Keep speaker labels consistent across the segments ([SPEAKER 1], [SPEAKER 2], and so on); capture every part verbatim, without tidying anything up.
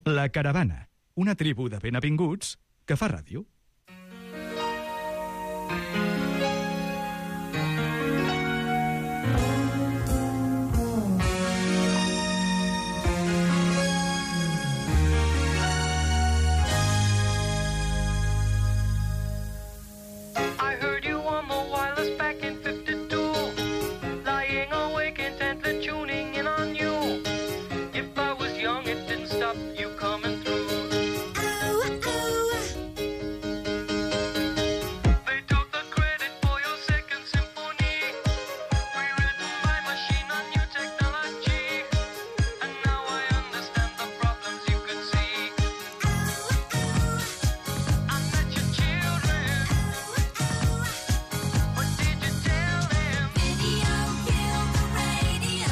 [SPEAKER 1] La Caravana, una tribu de benavinguts que fa ràdio.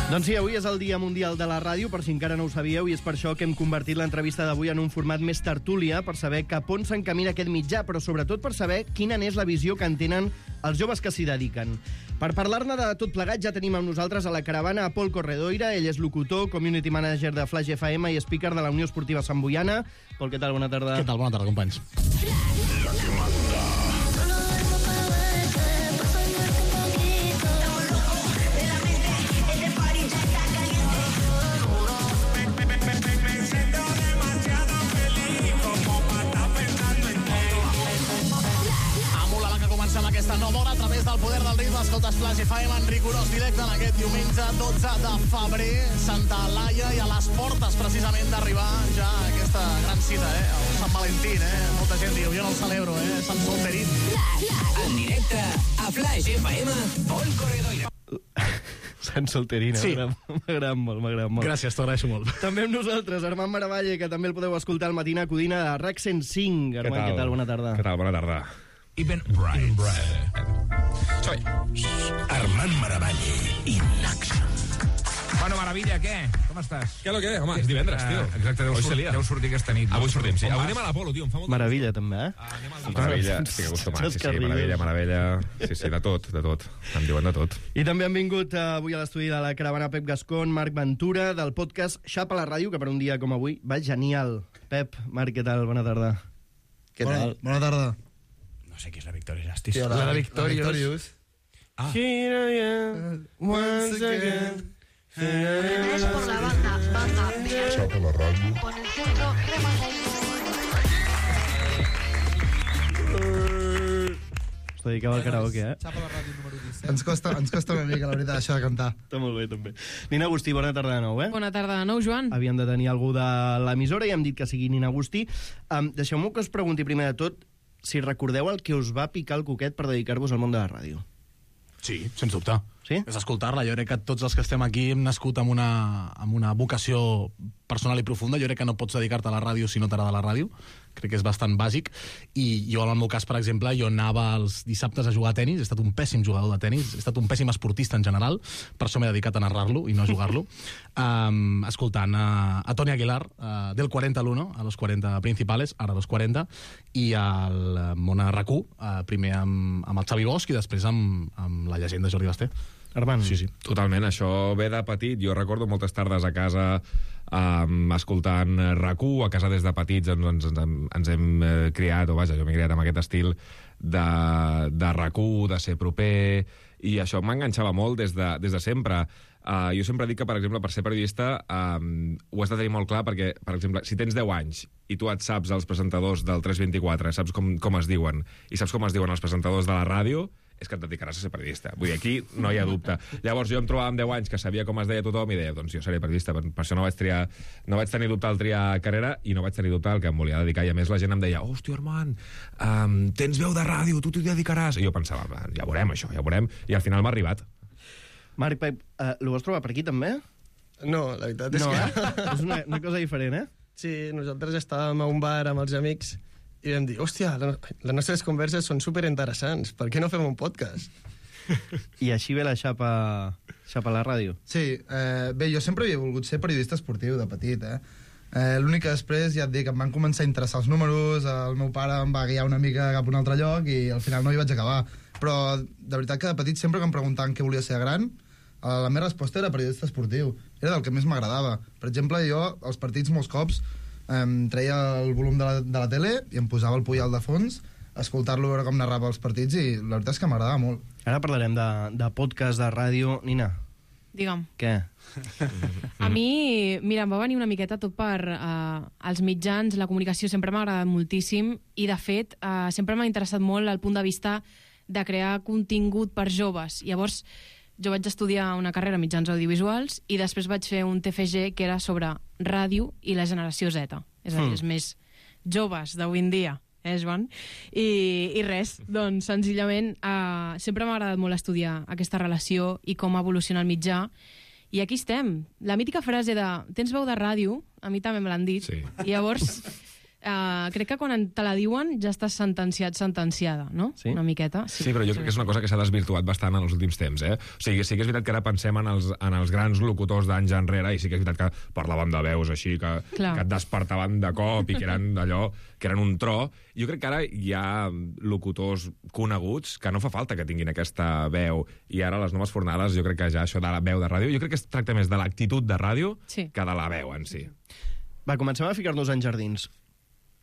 [SPEAKER 2] Doncs sí, avui és el Dia Mundial de la Ràdio, per si encara no ho sabíeu, i és per això que hem convertit l'entrevista d'avui en un format més tertúlia, per saber cap on s'encamina aquest mitjà, però sobretot per saber quina n'és la visió que en tenen els joves que s'hi dediquen. Per parlar-ne de tot plegat ja tenim amb nosaltres a la caravana a Pol Corredoira. Ell és locutor, community manager de Flash F M i speaker de la Unió Esportiva Sant Boiana. Pol, què tal? Bona tarda.
[SPEAKER 3] Què tal? Bona tarda, companys.
[SPEAKER 4] La que manda.
[SPEAKER 3] Aquesta nova hora a través del poder del ritme. Escoltes Flash F M en rigorós directe en aquest diumenge dotze de febrer, Santa Laia, i a les portes precisament d'arribar ja a aquesta gran cita, eh? El Sant Valentín, eh? Molta gent diu, jo no el celebro, eh? Sant Solterín.
[SPEAKER 5] En directe a Flash F M, Pol Corredoira.
[SPEAKER 2] Sant Solterín,
[SPEAKER 3] sí.
[SPEAKER 2] M'agrada molt, m'agrada molt.
[SPEAKER 3] Gràcies, t'ho agraeixo molt.
[SPEAKER 2] També amb nosaltres, Armand Maravalle, que també el podeu escoltar al Matina Codina de RAC cent cinc. Armand, què tal? Què tal? Bona tarda.
[SPEAKER 6] Què tal? Bona tarda.
[SPEAKER 5] Even Bright.
[SPEAKER 6] Soy
[SPEAKER 5] Armand Maravalle i Naxa.
[SPEAKER 7] Bueno, Maravilla, què? Com estàs?
[SPEAKER 6] Què lo que? Home, és divendres, tio.
[SPEAKER 7] Uh, exacte, deu, surt, deu sortir aquesta nit.
[SPEAKER 6] Avui sortim, sí. Avui
[SPEAKER 7] vas?
[SPEAKER 6] anem a l'Apolo, tio. Em fa molt
[SPEAKER 2] Meravella, també, eh?
[SPEAKER 6] Ah, anem al Meravella, estic acostumat. Sí, sí, meravella, meravella. Sí, sí, de tot, de tot. Em diuen de tot.
[SPEAKER 2] I també han vingut uh, avui a l'estudi de la caravana Pep Gascon, Marc Ventura, del podcast Xapa la Ràdio, que per un dia com avui va genial. Pep, Marc, què tal? Bona tarda.
[SPEAKER 3] Què tal?
[SPEAKER 8] Bona tarda.
[SPEAKER 7] No sé qui és la Victoria Justice.
[SPEAKER 8] Sí,
[SPEAKER 7] la,
[SPEAKER 8] la,
[SPEAKER 7] la
[SPEAKER 8] Victorious.
[SPEAKER 7] Victorious. Ah.
[SPEAKER 2] Here I am, once again.
[SPEAKER 9] Es por la banda, banda de
[SPEAKER 4] Xapa la Ràdio.
[SPEAKER 9] con el centro crema
[SPEAKER 2] Us dedicava al karaoke, eh?
[SPEAKER 8] Xapa la Ràdio número disset. Ens costa, ens costa una mica, la veritat, això de cantar.
[SPEAKER 2] Està molt bé, també. Nina Agustí, bona tarda de nou, eh?
[SPEAKER 10] Bona tarda de nou, Joan.
[SPEAKER 2] Havíem de tenir algú de l'emissora i hem dit que sigui Nina Agustí. Um, Deixeu-me que us pregunti primer de tot si recordeu el que us va picar el coquet per dedicar-vos al món de la ràdio.
[SPEAKER 3] Sí, sens dubte.
[SPEAKER 2] Sí?
[SPEAKER 3] És escoltar-la. Jo crec que tots els que estem aquí hem nascut amb una, amb una vocació personal i profunda. Jo crec que no pots dedicar-te a la ràdio si no t'agrada la ràdio. Crec que és bastant bàsic. I jo, en el meu cas, per exemple, jo anava els dissabtes a jugar a tenis. He estat un pèssim jugador de tenis. He estat un pèssim esportista en general. Per això m'he dedicat a narrar-lo i no a jugar-lo. um, escoltant a, a Toni Aguilar, uh, del quaranta al uno, a los quaranta principales, ara a los quaranta, i al Mona R A C U, uh, primer amb, amb el Xavi Bosch i després amb, amb la llegenda Jordi Basté.
[SPEAKER 2] Armand.
[SPEAKER 3] Sí, sí.
[SPEAKER 6] Totalment, això ve de petit. Jo recordo moltes tardes a casa um, escoltant R A C U. A casa des de petits ens, ens, ens, ens hem eh, criat, o vaja, jo m'he criat amb aquest estil de, de R A C U, de ser proper, i això m'enganxava molt des de, des de sempre. Uh, jo sempre dic que, per exemple, per ser periodista um, ho has de tenir molt clar perquè, per exemple, si tens deu anys i tu et saps els presentadors del tres vint-i-quatre, saps com, com es diuen, i saps com es diuen els presentadors de la ràdio, és que et dedicaràs a ser periodista. Vull dir, aquí no hi ha dubte. Llavors jo em trobava amb deu anys que sabia com es deia tothom i deia, doncs jo seré periodista. Per, per això no vaig triar, no vaig tenir dubte al triar carrera i no vaig tenir dubte al que em volia dedicar. I a més la gent em deia, hòstia, Armand, um, tens veu de ràdio, tu t'hi dedicaràs. I jo pensava, ja veurem això, ja veurem. I al final m'ha arribat.
[SPEAKER 2] Marc, Pep, uh, lo vas trobar per aquí també?
[SPEAKER 8] No, la veritat és
[SPEAKER 2] No,
[SPEAKER 8] que...
[SPEAKER 2] eh? És una, una cosa diferent, eh?
[SPEAKER 8] Sí, nosaltres estàvem a un bar amb els amics i vam dir, hòstia, la, les nostres converses són superinteressants, per què no fem un podcast?
[SPEAKER 2] I així ve la xapa, xapa a la ràdio.
[SPEAKER 11] Sí, eh, bé, jo sempre havia volgut ser periodista esportiu de petit, eh? eh L'únic que després, ja et dic, em van començar a interessar els números, el meu pare em va guiar una mica cap a un altre lloc i al final no hi vaig acabar. Però de veritat que de petit sempre que em preguntaven què volia ser gran, la meva resposta era periodista esportiu. Era del que més m'agradava. Per exemple, jo, als partits molts cops, em treia el volum de la, de la tele i em posava el Puyol de fons, escoltar-lo, veure com narrava els partits, i la veritat és que m'agradava molt.
[SPEAKER 2] Ara parlarem de, de podcast, de ràdio. Nina,
[SPEAKER 10] Digue'm.
[SPEAKER 2] què?
[SPEAKER 10] A mi, mira, em va venir una miqueta tot per uh, els mitjans, la comunicació sempre m'ha agradat moltíssim i, de fet, uh, sempre m'ha interessat molt el punt de vista de crear contingut per joves. Llavors, jo vaig estudiar una carrera en mitjans audiovisuals i després vaig fer un T F G que era sobre ràdio i la generació Z. És a dir,
[SPEAKER 2] Mm.
[SPEAKER 10] els més joves d'avui en dia. Eh, Joan? I, i res, doncs, senzillament, eh, sempre m'ha agradat molt estudiar aquesta relació i com evoluciona el mitjà. I aquí estem. La mítica frase de tens veu de ràdio, a mi també me l'han dit.
[SPEAKER 6] Sí.
[SPEAKER 10] I llavors, eh, crec que quan te la diuen ja estàs sentenciat, sentenciada, no?
[SPEAKER 2] Sí?
[SPEAKER 10] Una miqueta.
[SPEAKER 6] Sí, però jo crec que és una cosa que s'ha desvirtuat bastant en els últims temps, eh? O sigui, sí que és veritat que ara pensem en els, en els grans locutors d'anys enrere, i sí que és veritat que parlàvem de veus així, que,
[SPEAKER 10] Clar.
[SPEAKER 6] que et despertaven de cop i que eren d'allò, que eren un tro. Jo crec que ara hi ha locutors coneguts que no fa falta que tinguin aquesta veu, i ara les noves fornades jo crec que ja això de la veu de ràdio, jo crec que es tracta més de l'actitud de ràdio
[SPEAKER 10] Sí.
[SPEAKER 6] que de la veu en si.
[SPEAKER 2] Va, comencem a ficar-nos en jardins.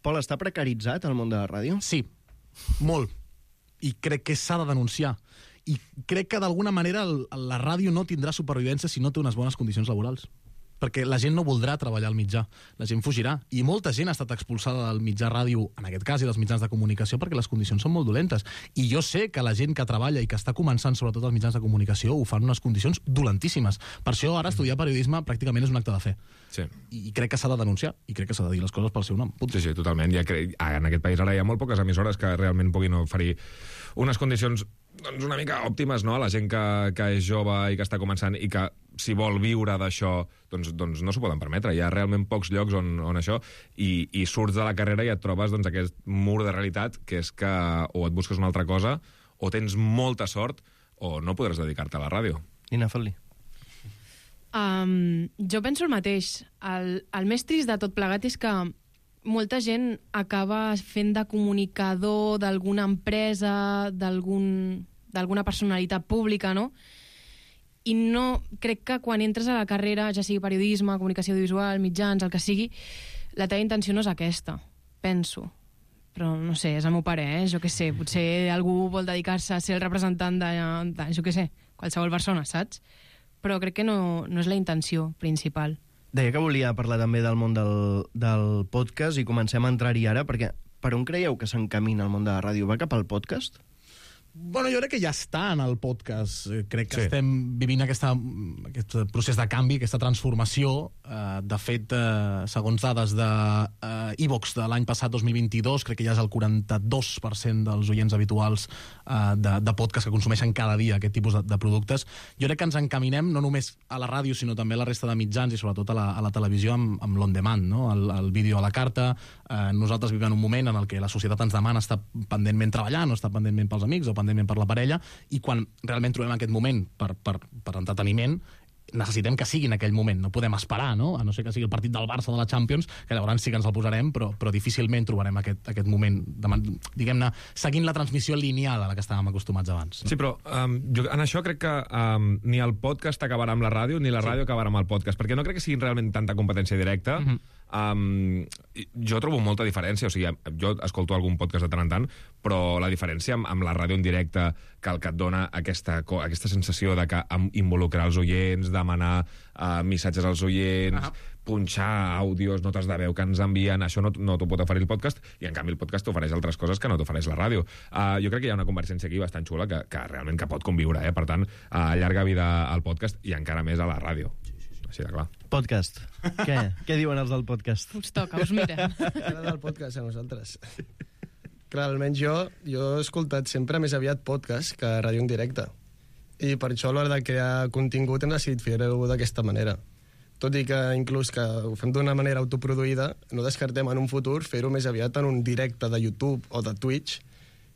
[SPEAKER 2] Pol, està precaritzat el món de la ràdio?
[SPEAKER 3] Sí, molt. I crec que s'ha de denunciar. I crec que d'alguna manera el, la ràdio no tindrà supervivència si no té unes bones condicions laborals. Perquè la gent no voldrà treballar al mitjà, la gent fugirà. I molta gent ha estat expulsada del mitjà ràdio, en aquest cas, i dels mitjans de comunicació, perquè les condicions són molt dolentes. I jo sé que la gent que treballa i que està començant, sobretot als mitjans de comunicació, ho fan en unes condicions dolentíssimes. Per això ara estudiar periodisme pràcticament és un acte de fe.
[SPEAKER 6] Sí.
[SPEAKER 3] I crec que s'ha de denunciar, i crec que s'ha de dir les coses pel seu nom. Punt.
[SPEAKER 6] Sí, sí, totalment. Ja cre... En aquest país ara hi ha molt poques emissores que realment puguin oferir unes condicions doncs, una mica òptimes, no?, a la gent que, que és jove i que està començant i que, si vol viure d'això, doncs, doncs no s'ho poden permetre. Hi ha realment pocs llocs on, on això, i, i surts de la carrera i et trobes doncs, aquest mur de realitat, que és que o et busques una altra cosa, o tens molta sort, o no podràs dedicar-te a la ràdio.
[SPEAKER 2] Nina, fot-li.
[SPEAKER 10] Um, jo penso el mateix. El, el més trist de tot plegat és que molta gent acaba fent de comunicador d'alguna empresa, d'algun d'alguna personalitat pública, no? I no, crec que quan entres a la carrera, ja sigui periodisme, comunicació audiovisual, mitjans, el que sigui, la teva intenció no és aquesta, penso. Però no sé, és el meu pare, eh? Jo què sé, potser algú vol dedicar-se a ser el representant de, de jo què sé, qualsevol persona, saps? Però crec que no, no és la intenció principal.
[SPEAKER 2] Deia que volia parlar també del món del, del podcast i comencem a entrar-hi ara, perquè per on creieu que s'encamina el món de la ràdio? Va cap al podcast?
[SPEAKER 3] Bueno, jo crec que ja està en el podcast. Eh, Crec que
[SPEAKER 6] Sí.
[SPEAKER 3] estem vivint aquesta, aquest procés de canvi, aquesta transformació. Eh, de fet, eh, segons dades de eh, iVox de l'any passat, dos mil vint-i-dos, crec que ja és el quaranta-dos per cent dels oients habituals eh, de, de podcast que consumeixen cada dia aquest tipus de, de productes. Jo crec que ens encaminem no només a la ràdio, sinó també a la resta de mitjans i sobretot a la, a la televisió amb, amb l'on-demand, no? el, el vídeo a la carta. Eh, nosaltres vivim en un moment en el que la societat ens demana estar pendentment treballant, o estar pendentment pels amics, o pendentment per la parella, i quan realment trobem aquest moment per, per, per entreteniment, necessitem que sigui en aquell moment, no podem esperar, no? A no ser que sigui el partit del Barça de la Champions, que llavors sí que ens el posarem, però, però difícilment trobarem aquest, aquest moment, de, diguem-ne, seguint la transmissió lineal a la que estàvem acostumats abans. No?
[SPEAKER 6] Sí, però um, jo en això crec que um, ni el podcast acabarà amb la ràdio, ni la ràdio sí. acabarà amb el podcast, perquè no crec que siguin realment tanta competència directa. Mm-hmm. Um, jo trobo molta diferència, o sigui, jo escolto algun podcast de tant en tant, però la diferència amb, amb la ràdio en directe, que el que et dona aquesta, aquesta sensació de que involucrar els oients, demanar uh, missatges als oients, ah. punxar àudios, notes de veu que ens envien, això no, no t'ho pot oferir el podcast, i en canvi el podcast t'ofereix altres coses que no t'ofereix la ràdio. Uh, jo crec que hi ha una convergència aquí bastant xula que, que realment que pot conviure, eh? Per tant, uh, llarga vida al podcast i encara més a la ràdio. Així de clar.
[SPEAKER 2] Podcast. Què? Què diuen els del podcast?
[SPEAKER 10] Us toca, us mira.
[SPEAKER 8] Ara del podcast a nosaltres. Clar, almenys jo, jo he escoltat sempre més aviat podcast que ràdio en directe. I per això a l'hora de crear contingut hem decidit fer-ho d'aquesta manera. Tot i que inclús que ho fem d'una manera autoproduïda, no descartem en un futur fer-ho més aviat en un directe de YouTube o de Twitch,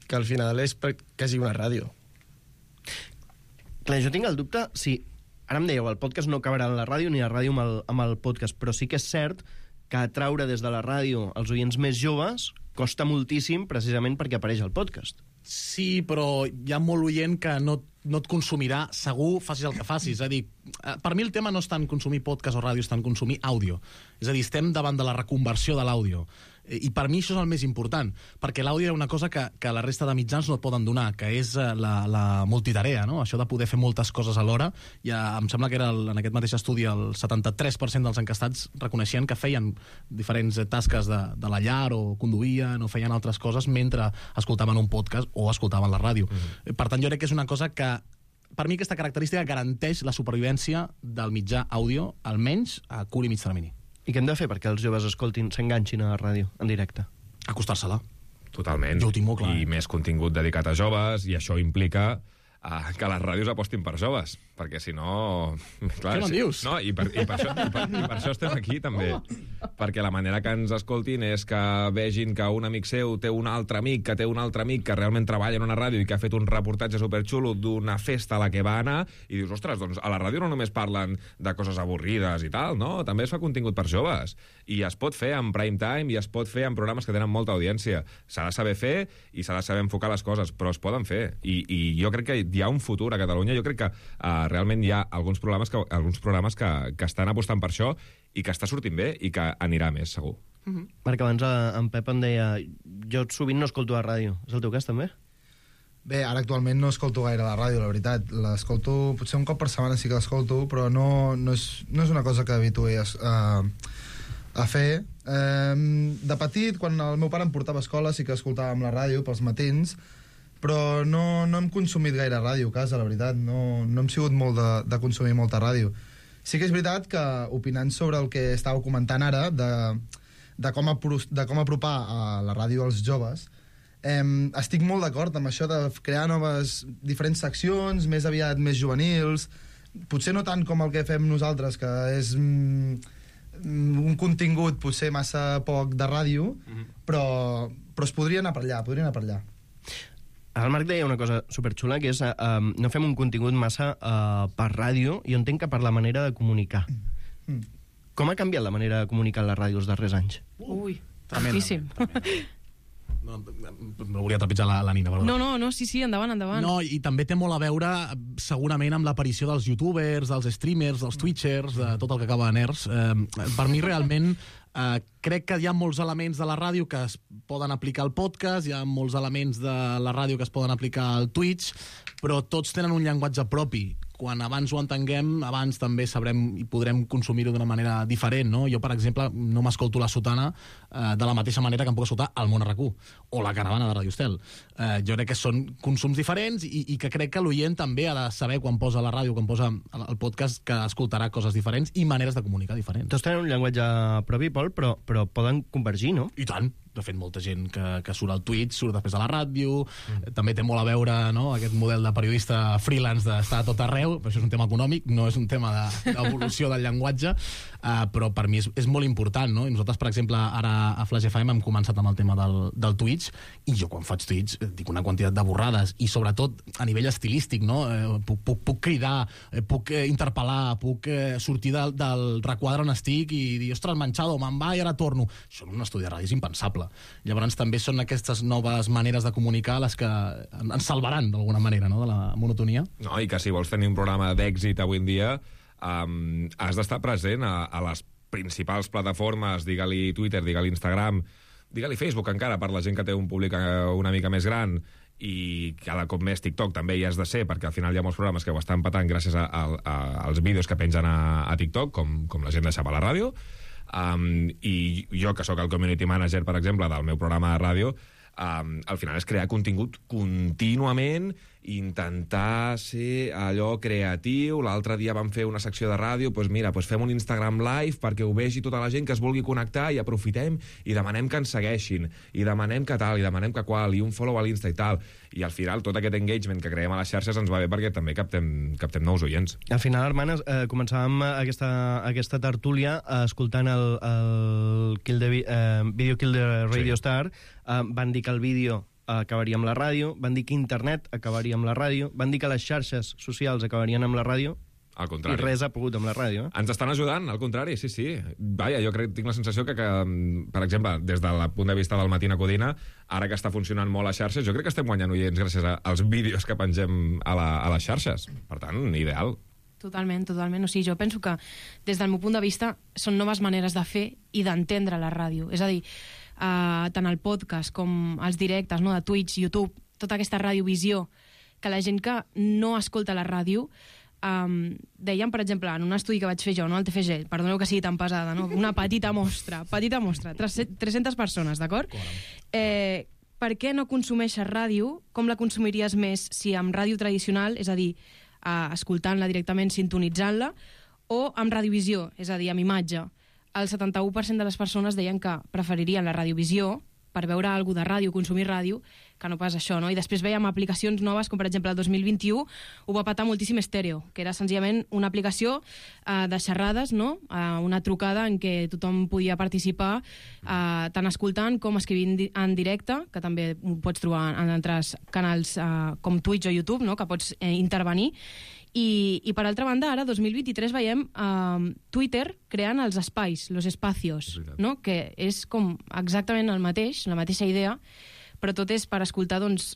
[SPEAKER 8] que al final és quasi una ràdio.
[SPEAKER 2] Clar, jo tinc el dubte si... Ara em dèieu, el podcast no acabarà en la ràdio ni la ràdio amb el, amb el podcast, però sí que és cert que atraure des de la ràdio els oients més joves costa moltíssim precisament perquè apareix el podcast.
[SPEAKER 3] Sí, però hi ha molt oient que no no et consumirà segur, facis el que facis. És a dir, per mi el tema no és tant consumir podcast o ràdio, és tant consumir àudio. És a dir, estem davant de la reconversió de l'àudio. I per mi això és el més important, perquè l'àudio era una cosa que, que la resta de mitjans no et poden donar, que és la, la multitarea, no? Això de poder fer moltes coses alhora. Ja, em sembla que era el, en aquest mateix estudi el setanta-tres per cent dels encastats reconeixien que feien diferents tasques de, de la llar o conduïen o feien altres coses mentre escoltaven un podcast o escoltaven la ràdio. Mm-hmm. Per tant, jo crec que és una cosa que per mi aquesta característica garanteix la supervivència del mitjà àudio, almenys a curt i mig termini.
[SPEAKER 2] I què hem de fer perquè els joves escoltin, s'enganxin a la ràdio en directe?
[SPEAKER 3] Acostar-se-la.
[SPEAKER 6] Totalment.
[SPEAKER 3] Jo ho tinc molt clar.
[SPEAKER 6] I més contingut dedicat a joves, i això implica uh, que les ràdios apostin per joves, perquè si no... Clar,
[SPEAKER 3] què me'n dius?
[SPEAKER 6] No, i per, i, per això, i, per, i per això estem aquí, també. Perquè la manera que ens escoltin és que vegin que un amic seu té un altre amic, que té un altre amic que realment treballa en una ràdio i que ha fet un reportatge superxulo d'una festa a la que va anar, i dius, ostres, doncs a la ràdio no només parlen de coses avorrides i tal, no? També es fa contingut per joves. I es pot fer en prime time i es pot fer en programes que tenen molta audiència. S'ha de saber fer i s'ha de saber enfocar les coses, però es poden fer. I, i jo crec que hi ha un futur a Catalunya. Jo crec que uh, realment hi ha alguns programes que, alguns programes que, que estan apostant per això i que està sortint bé i que anirà més, segur.
[SPEAKER 2] Mm-hmm. Perquè abans eh, en Pep em deia jo sovint no escolto la ràdio. És el teu cas, també?
[SPEAKER 11] Bé, ara actualment no escolto gaire la ràdio, la veritat. L'escolto, potser un cop per setmana sí que l'escolto, però no, no, és, no és una cosa que habitué a, a, a fer. Eh, de petit, quan el meu pare em portava a escola, sí que escoltàvem la ràdio pels matins, però no, no hem consumit gaire ràdio a casa, la veritat. No, no hem sigut molt de, de consumir molta ràdio. Sí que és veritat que, opinant sobre el que estàveu comentant ara, de, de, com, apro de com apropar a la ràdio als joves, eh, estic molt d'acord amb això de crear noves, diferents seccions, més aviat més juvenils, potser no tant com el que fem nosaltres, que és mm, un contingut potser massa poc de ràdio, mm-hmm. però, però es podria anar per allà, podria anar per allà.
[SPEAKER 2] El Marc deia una cosa superxula, que és uh, um, no fem un contingut massa uh, per ràdio, i jo entenc que per la manera de comunicar. Mm. Com ha canviat la manera de comunicar en la ràdio els darrers anys?
[SPEAKER 10] Ui,
[SPEAKER 3] tremenda,
[SPEAKER 10] tantíssim.
[SPEAKER 3] No, no volia trepitjar la, la Nina, perdó.
[SPEAKER 10] No, no, no, sí, sí, endavant, endavant.
[SPEAKER 3] No, i també té molt a veure, segurament, amb l'aparició dels youtubers, dels streamers, dels twitchers, de tot el que acaba de nerds. Eh, per mi, realment, eh, crec que hi ha molts elements de la ràdio que es poden aplicar al podcast, hi ha molts elements de la ràdio que es poden aplicar al Twitch, però tots tenen un llenguatge propi. Quan abans ho entenguem, abans també sabrem i podrem consumir-ho d'una manera diferent, no? Jo, per exemple, no m'escolto La Sotana eh, de la mateixa manera que em puc escoltar el Món R Q o La Caravana de Radio Estel. Eh, jo crec que són consums diferents i, i que crec que l'oient també ha de saber quan posa la ràdio, quan posa el podcast, que escoltarà coses diferents i maneres de comunicar diferents.
[SPEAKER 2] Tots tenen un llenguatge propi, Pol, però, però poden convergir, no?
[SPEAKER 3] I tant. De fet, molta gent que, que surt al Twitch, surt després a la ràdio, mm. també té molt a veure, no?, aquest model de periodista freelance d'estar a tot arreu, però això és un tema econòmic, no és un tema d'evolució de, del llenguatge, uh, però per mi és, és molt important, no? I nosaltres, per exemple, ara a Flash F M hem començat amb el tema del, del Twitch, i jo quan faig Twitch dic una quantitat de borrades, i sobretot a nivell estilístic, no? Eh, puc, puc, puc cridar, eh, puc eh, interpel·lar, puc eh, sortir del, del requadre on estic i dir, ostres, Manchado, me'n va i ara torno. Això en un estudi de ràdio és impensable. Llavors també són aquestes noves maneres de comunicar les que ens salvaran d'alguna manera, no?, de la monotonia.
[SPEAKER 6] No, i que si vols tenir un programa d'èxit avui en dia um, has d'estar present a, a les principals plataformes, digue-li Twitter, digue-li Instagram, digue-li Facebook encara, per la gent que té un públic una mica més gran, i cada cop més TikTok també hi has de ser, perquè al final hi ha molts programes que ho estan patant gràcies a, a, a, als vídeos que pengen a, a TikTok, com, com la gent de Xapa a la ràdio. Um, i jo, que sóc el community manager, per exemple, del meu programa de ràdio, um, al final és crear contingut contínuament, intentar ser allò creatiu. L'altre dia vam fer una secció de ràdio, doncs mira, doncs fem un Instagram Live perquè ho vegi tota la gent que es vulgui connectar, i aprofitem i demanem que ens segueixin, i demanem que tal, i demanem que qual, i un follow a l'Insta i tal. I al final tot aquest engagement que creem a les xarxes ens va bé perquè també captem, captem nous oients.
[SPEAKER 2] Al final, Armand, eh, començàvem aquesta, aquesta tertúlia eh, escoltant el, el Kill the, eh, Video Kill the Radio sí. Star. Eh, van dir que el vídeo acabaria amb la ràdio, van dir que internet acabaria amb la ràdio, van dir que les xarxes socials acabarien amb la ràdio.
[SPEAKER 6] Al
[SPEAKER 2] I
[SPEAKER 6] contrari.
[SPEAKER 2] res ha pogut amb la ràdio. Eh?
[SPEAKER 6] Ens estan ajudant, al contrari, sí, sí. Vaja, jo crec, tinc la sensació que, que, per exemple, des del punt de vista del Matina Codina, ara que està funcionant molt a xarxes, jo crec que estem guanyant oients gràcies als vídeos que pengem a, la, a les xarxes. Per tant, ideal.
[SPEAKER 10] Totalment, totalment. O sigui, jo penso que, des del meu punt de vista, són noves maneres de fer i d'entendre la ràdio. És a dir, uh, tant el podcast com els directes, no?, de Twitch, YouTube, tota aquesta radiovisió, que la gent que no escolta la ràdio, um, deien, per exemple, en un estudi que vaig fer jo, no, al T F G, perdoneu que sigui tan pesada, no? Una petita mostra, petita mostra, tres-centes persones, d'acord? Eh, per què no consumeixes ràdio? Com la consumiries més si amb ràdio tradicional, és a dir, uh, escoltant-la directament, sintonitzant-la, o amb radiovisió, és a dir, amb imatge? El setanta-u per cent de les persones deien que preferirien la radiovisió per veure alguna de ràdio, consumir ràdio, que no pas això, no? I després veiem aplicacions noves, com per exemple el dos mil vint-i-u ho va patar moltíssim Estèreo, que era senzillament una aplicació eh, de xerrades, no? Eh, una trucada en què tothom podia participar, eh, tant escoltant com escrivint di en directe, que també ho pots trobar en altres canals eh, com Twitch o YouTube, no? Que pots eh, intervenir. I, i per altra banda, ara, dos mil vint-i-tres, veiem eh, Twitter creant els espais, los espacios, no? Que és com exactament el mateix, la mateixa idea, però tot és per escoltar, doncs,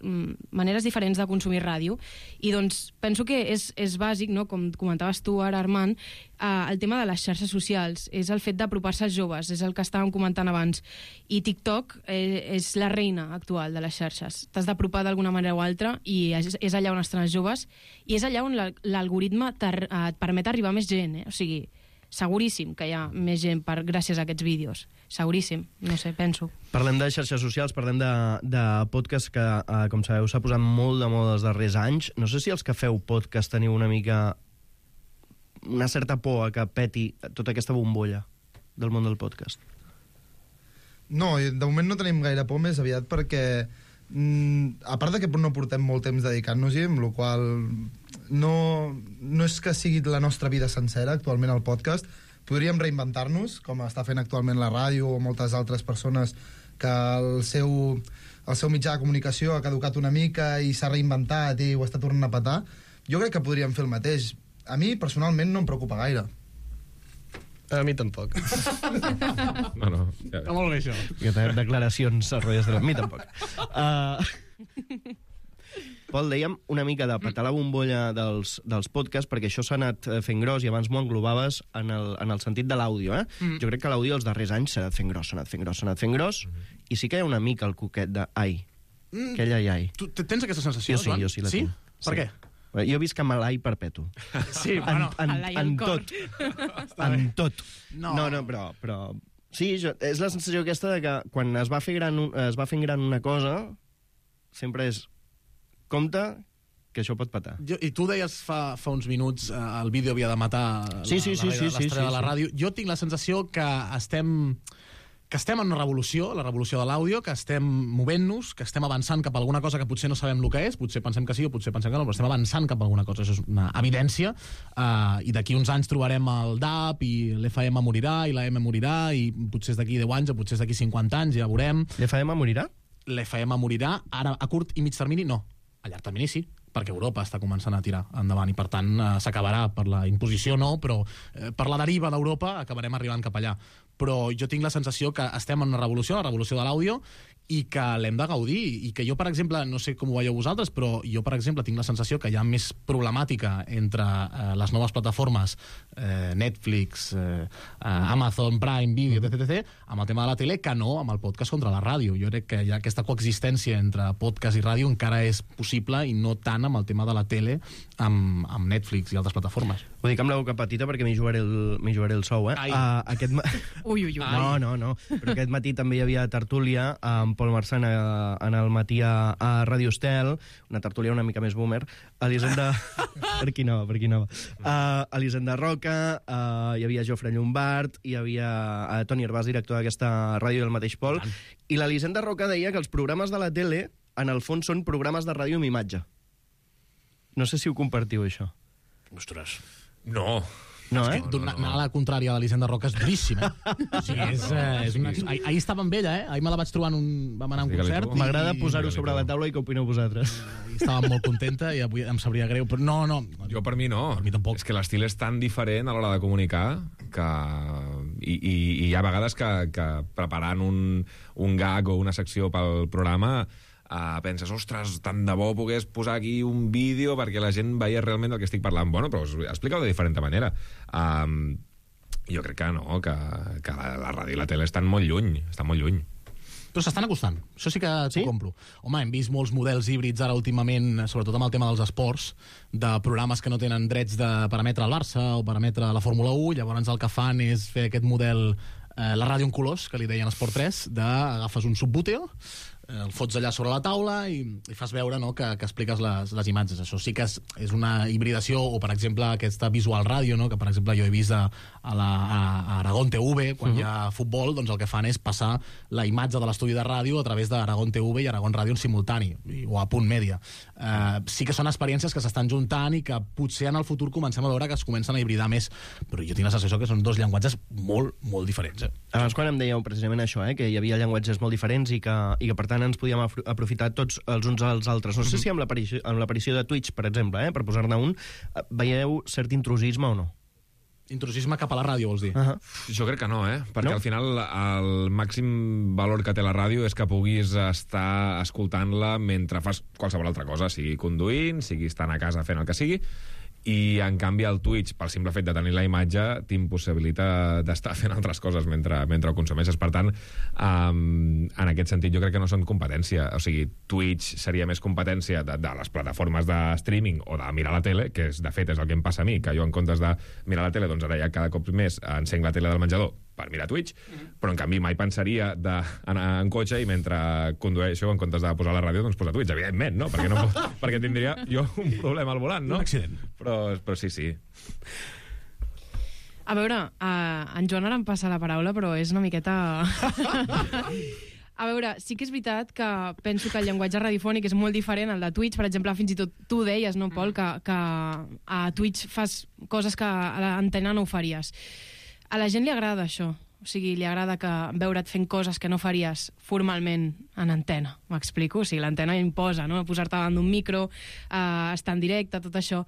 [SPEAKER 10] maneres diferents de consumir ràdio. I doncs penso que és, és bàsic, no? Com comentaves tu ara, Armand, eh, el tema de les xarxes socials, és el fet d'apropar-se als joves, és el que estàvem comentant abans. I TikTok eh, és la reina actual de les xarxes. T'has d'apropar d'alguna manera o altra i és, és allà on estan els joves i és allà on l'algoritme et permet arribar a més gent, eh? O sigui, seguríssim que hi ha més gent per, gràcies a aquests vídeos. Seguríssim, no sé, penso.
[SPEAKER 2] Parlem de xarxes socials, parlem de, de podcast que, eh, com sabeu, s'ha posat molt de moda els darrers anys. No sé si els que feu podcast teniu una mica una certa por a que peti tota aquesta bombolla del món del podcast.
[SPEAKER 11] No, de moment no tenim gaire por, més aviat perquè mm, a part de que no portem molt temps dedicant-nos-hi, amb la qual no, no és que sigui la nostra vida sencera actualment el podcast, podríem reinventar-nos, com està fent actualment la ràdio o moltes altres persones que el seu, el seu mitjà de comunicació ha caducat una mica i s'ha reinventat i ho està tornant a petar. Jo crec que podríem fer el mateix. A mi, personalment, no em preocupa gaire.
[SPEAKER 8] A mi tampoc.
[SPEAKER 6] No, no.
[SPEAKER 3] Ja. Molt bé, això.
[SPEAKER 2] Que té declaracions a rotlles de la... A mi tampoc. Uh... Pol, dèiem una mica de petar la bombolla dels, dels podcasts, perquè això s'ha anat fent gros i abans m'ho englobaves en el, en el sentit de l'àudio. Eh? Mm. Jo crec que l'àudio els darrers anys s'ha anat fent gros, s'ha anat fent gros, s'ha anat fent gros, mm. i sí que hi ha una mica el coquet de ai, mm. aquell ai, ai.
[SPEAKER 3] Tu tens aquesta sensació,
[SPEAKER 2] jo sí,
[SPEAKER 3] Joan?
[SPEAKER 2] Jo sí, la
[SPEAKER 3] sí?
[SPEAKER 2] tinc.
[SPEAKER 3] Per
[SPEAKER 2] sí.
[SPEAKER 3] què?
[SPEAKER 2] Jo visc amb l'ai perpetu.
[SPEAKER 3] Sí, bueno.
[SPEAKER 2] En, en, en tot. En tot.
[SPEAKER 3] No,
[SPEAKER 2] no, no però... però... Sí, jo, és la sensació aquesta de que quan es va fer gran, es va fent gran una cosa, sempre és compte que això pot patar.
[SPEAKER 3] Jo, I tu deies fa, fa uns minuts eh, el vídeo havia de matar
[SPEAKER 2] sí, sí, sí,
[SPEAKER 3] la,
[SPEAKER 2] sí,
[SPEAKER 3] l'estrella
[SPEAKER 2] sí, sí,
[SPEAKER 3] de la
[SPEAKER 2] sí.
[SPEAKER 3] ràdio. Jo tinc la sensació que estem que estem en una revolució, la revolució de l'àudio, que estem movent-nos, que estem avançant cap a alguna cosa que potser no sabem el que és, potser pensem que sí o potser pensem que no, però estem avançant cap a alguna cosa, això és una evidència, uh, i d'aquí uns anys trobarem el D A B i l'F M morirà i la M morirà i potser és d'aquí deu anys o potser és d'aquí cinquanta anys, ja veurem.
[SPEAKER 2] L'F M morirà?
[SPEAKER 3] L'F M morirà, ara a curt i mig termini no, a llarg termini sí, perquè Europa està començant a tirar endavant i per tant eh, s'acabarà per la imposició no, però eh, per la deriva d'Europa acabarem arribant cap allà. Però jo tinc la sensació que estem en una revolució, la revolució de l'àudio, i que l'hem de gaudir, i que jo, per exemple, no sé com ho veieu vosaltres, però jo, per exemple, tinc la sensació que hi ha més problemàtica entre eh, les noves plataformes, eh, Netflix, eh, Amazon Prime Video, etc, etc, amb el tema de la tele, que no amb el podcast contra la ràdio. Jo crec que hi ha aquesta coexistència entre podcast i ràdio encara és possible, i no tant amb el tema de la tele amb, amb Netflix i altres plataformes.
[SPEAKER 2] Ho dic amb la boca petita perquè m'hi jugaré, jugaré el sou, eh? Uh, aquest ma...
[SPEAKER 10] Ui, ui, ui.
[SPEAKER 2] No, no, no. Però aquest matí també hi havia tertúlia amb Pol Marçant en el matí a, a Ràdio Estel, una tertúlia una mica més boomer, Elisenda... per qui no, per qui no. Uh, Elisenda Roca, uh, hi havia Jofre Llombard, hi havia uh, Toni Herbàs, director d'aquesta ràdio del mateix Pol, i l'Elisenda Roca deia que els programes de la tele, en el fons, són programes de ràdio amb imatge. No sé si ho compartiu, això.
[SPEAKER 3] Ostres.
[SPEAKER 6] No,
[SPEAKER 2] No,
[SPEAKER 3] és
[SPEAKER 2] eh?
[SPEAKER 3] que donar, anar a la contrària de l'Hisenda Roca és duríssim, eh? O sigui, és, eh, és una... ahir, ahir estava amb ella, eh? Ahir me la vaig trobar en un... Vam anar a un
[SPEAKER 6] Digue-li
[SPEAKER 3] concert.
[SPEAKER 6] tu.
[SPEAKER 2] M'agrada
[SPEAKER 3] i-
[SPEAKER 2] posar-ho sobre la taula i què opineu vosaltres.
[SPEAKER 3] i estava molt contenta i avui em sabria greu, però no, no.
[SPEAKER 6] Jo per mi no.
[SPEAKER 3] Per mi tampoc.
[SPEAKER 6] És que l'estil és tan diferent a l'hora de comunicar que... I, i, i hi ha vegades que, que preparant un, un gag o una secció pel programa uh, penses, ostres, tant de bo pogués posar aquí un vídeo perquè la gent veia realment el que estic parlant. Bueno, però explica-ho de diferent manera. Um, jo crec que no, que, que la, la ràdio i la tele estan molt lluny, estan molt lluny.
[SPEAKER 3] Però s'estan acostant, això sí que t'ho sí? compro. Home, hem vist molts models híbrids ara últimament, sobretot amb el tema dels esports, de programes que no tenen drets de parametre al Barça o parametre a la Fórmula u, llavors el que fan és fer aquest model, eh, la ràdio en colors, que li deien Esport tres, d'agafes un subbúteo, el fots allà sobre la taula i, i fas veure, no, que, que expliques les, les imatges. Això sí que és, és una hibridació, o per exemple aquesta visual ràdio, no, que per exemple jo he vist a, a, la, a Aragón T V, quan uh -huh. hi ha futbol, doncs el que fan és passar la imatge de l'estudi de ràdio a través d'Aragón T V i Aragón Ràdio en simultani, i, o a punt mèdia. Uh, sí que són experiències que s'estan juntant i que potser en el futur comencem a veure que es comencen a hibridar més, però jo tinc la sensació que són dos llenguatges molt, molt diferents. Eh?
[SPEAKER 2] Abans quan em dèieu precisament això, eh, que hi havia llenguatges molt diferents i que, i que per tant ens podíem aprofitar tots els uns als altres. No sé si amb l'aparició amb l'aparició de Twitch, per exemple, eh, per posar-ne un, veieu cert intrusisme o no?
[SPEAKER 3] Intrusisme cap a la ràdio, vols dir?
[SPEAKER 2] Uh -huh.
[SPEAKER 6] Jo crec que no, eh? Perquè
[SPEAKER 2] No?
[SPEAKER 6] al final el màxim valor que té la ràdio és que puguis estar escoltant-la mentre fas qualsevol altra cosa, sigui conduint, sigui estant a casa fent el que sigui, i en canvi el Twitch, pel simple fet de tenir la imatge, t'impossibilita d'estar fent altres coses mentre, mentre ho consumeixes. Per tant, um, en aquest sentit jo crec que no són competència. O sigui, Twitch seria més competència de, de les plataformes de streaming o de mirar la tele, que és, de fet és el que em passa a mi, que jo en comptes de mirar la tele, doncs ara ja cada cop més encenc la tele del menjador per mirar Twitch, mm-hmm. però en canvi mai pensaria d'anar en cotxe i mentre condueixo, en comptes de posar la ràdio, doncs posar Twitch, evidentment, no? Perquè, no, perquè tindria jo un problema al volant, no?
[SPEAKER 3] Un accident.
[SPEAKER 6] Però, però sí, sí.
[SPEAKER 10] A veure, uh, en Joan ara em passa la paraula, però és una miqueta... A veure, sí que és veritat que penso que el llenguatge radiofònic és molt diferent al de Twitch. Per exemple, fins i tot tu deies, no, Pol, que, que a Twitch fas coses que a l'antena no ho faries. A la gent li agrada això. O sigui, li agrada que veure't fent coses que no faries formalment en antena. M'explico? O sigui, l'antena imposa, no? Posar-te davant d'un micro, uh, estar en directe, tot això.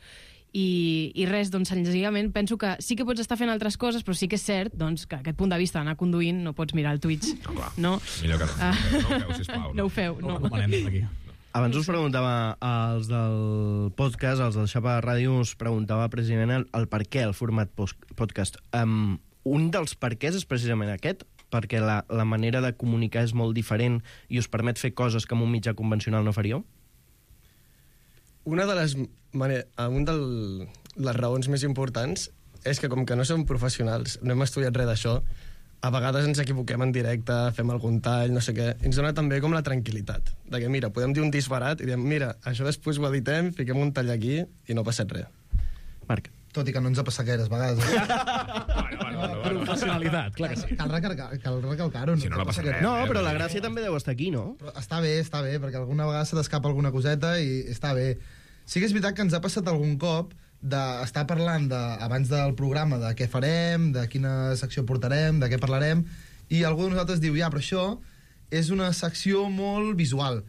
[SPEAKER 10] I, i res, doncs, senzillament penso que sí que pots estar fent altres coses, però sí que és cert, doncs, que aquest punt de vista d'anar conduint no pots mirar el Twitch.
[SPEAKER 6] No, clar.
[SPEAKER 10] No?
[SPEAKER 6] Millor que no.
[SPEAKER 10] Ah.
[SPEAKER 6] No ho feu, sisplau.
[SPEAKER 10] No ho feu, no.
[SPEAKER 3] No, no, aquí.
[SPEAKER 2] Abans us preguntava, als del podcast, als del Xapa Ràdio, us preguntava precisament el, el per què el format post, podcast. Um, un dels perquès és precisament aquest, perquè la, la manera de comunicar és molt diferent i us permet fer coses que amb un mitjà convencional no faríeu?
[SPEAKER 8] Una de les, mane- un de les raons més importants és que com que no som professionals, no hem estudiat res d'això, a vegades ens equivoquem en directe, fem algun tall, no sé què, ens dona també com la tranquil·litat, de que mira, podem dir un disbarat i diem, mira, això després ho editem, fiquem un tall aquí i no ha passat res.
[SPEAKER 2] Marc.
[SPEAKER 11] Tot i que no ens ha passat gaires vegades. Eh?
[SPEAKER 6] Bueno, bueno, bueno, bueno.
[SPEAKER 3] Professionalitat, clar que sí.
[SPEAKER 11] Cal recalcar- cal recalcar-ho.
[SPEAKER 6] Si no, no passa res.
[SPEAKER 2] No,
[SPEAKER 6] eh,
[SPEAKER 2] però la
[SPEAKER 6] vull dir-
[SPEAKER 2] gràcia també deu estar aquí, no?
[SPEAKER 11] Però està bé, està bé, perquè alguna vegada se t'escapa alguna coseta i està bé. Sí que és veritat que ens ha passat algun cop d'estar parlant de, abans del programa de què farem, de quina secció portarem, de què parlarem, i algú de nosaltres diu, ja, però això és una secció molt visual.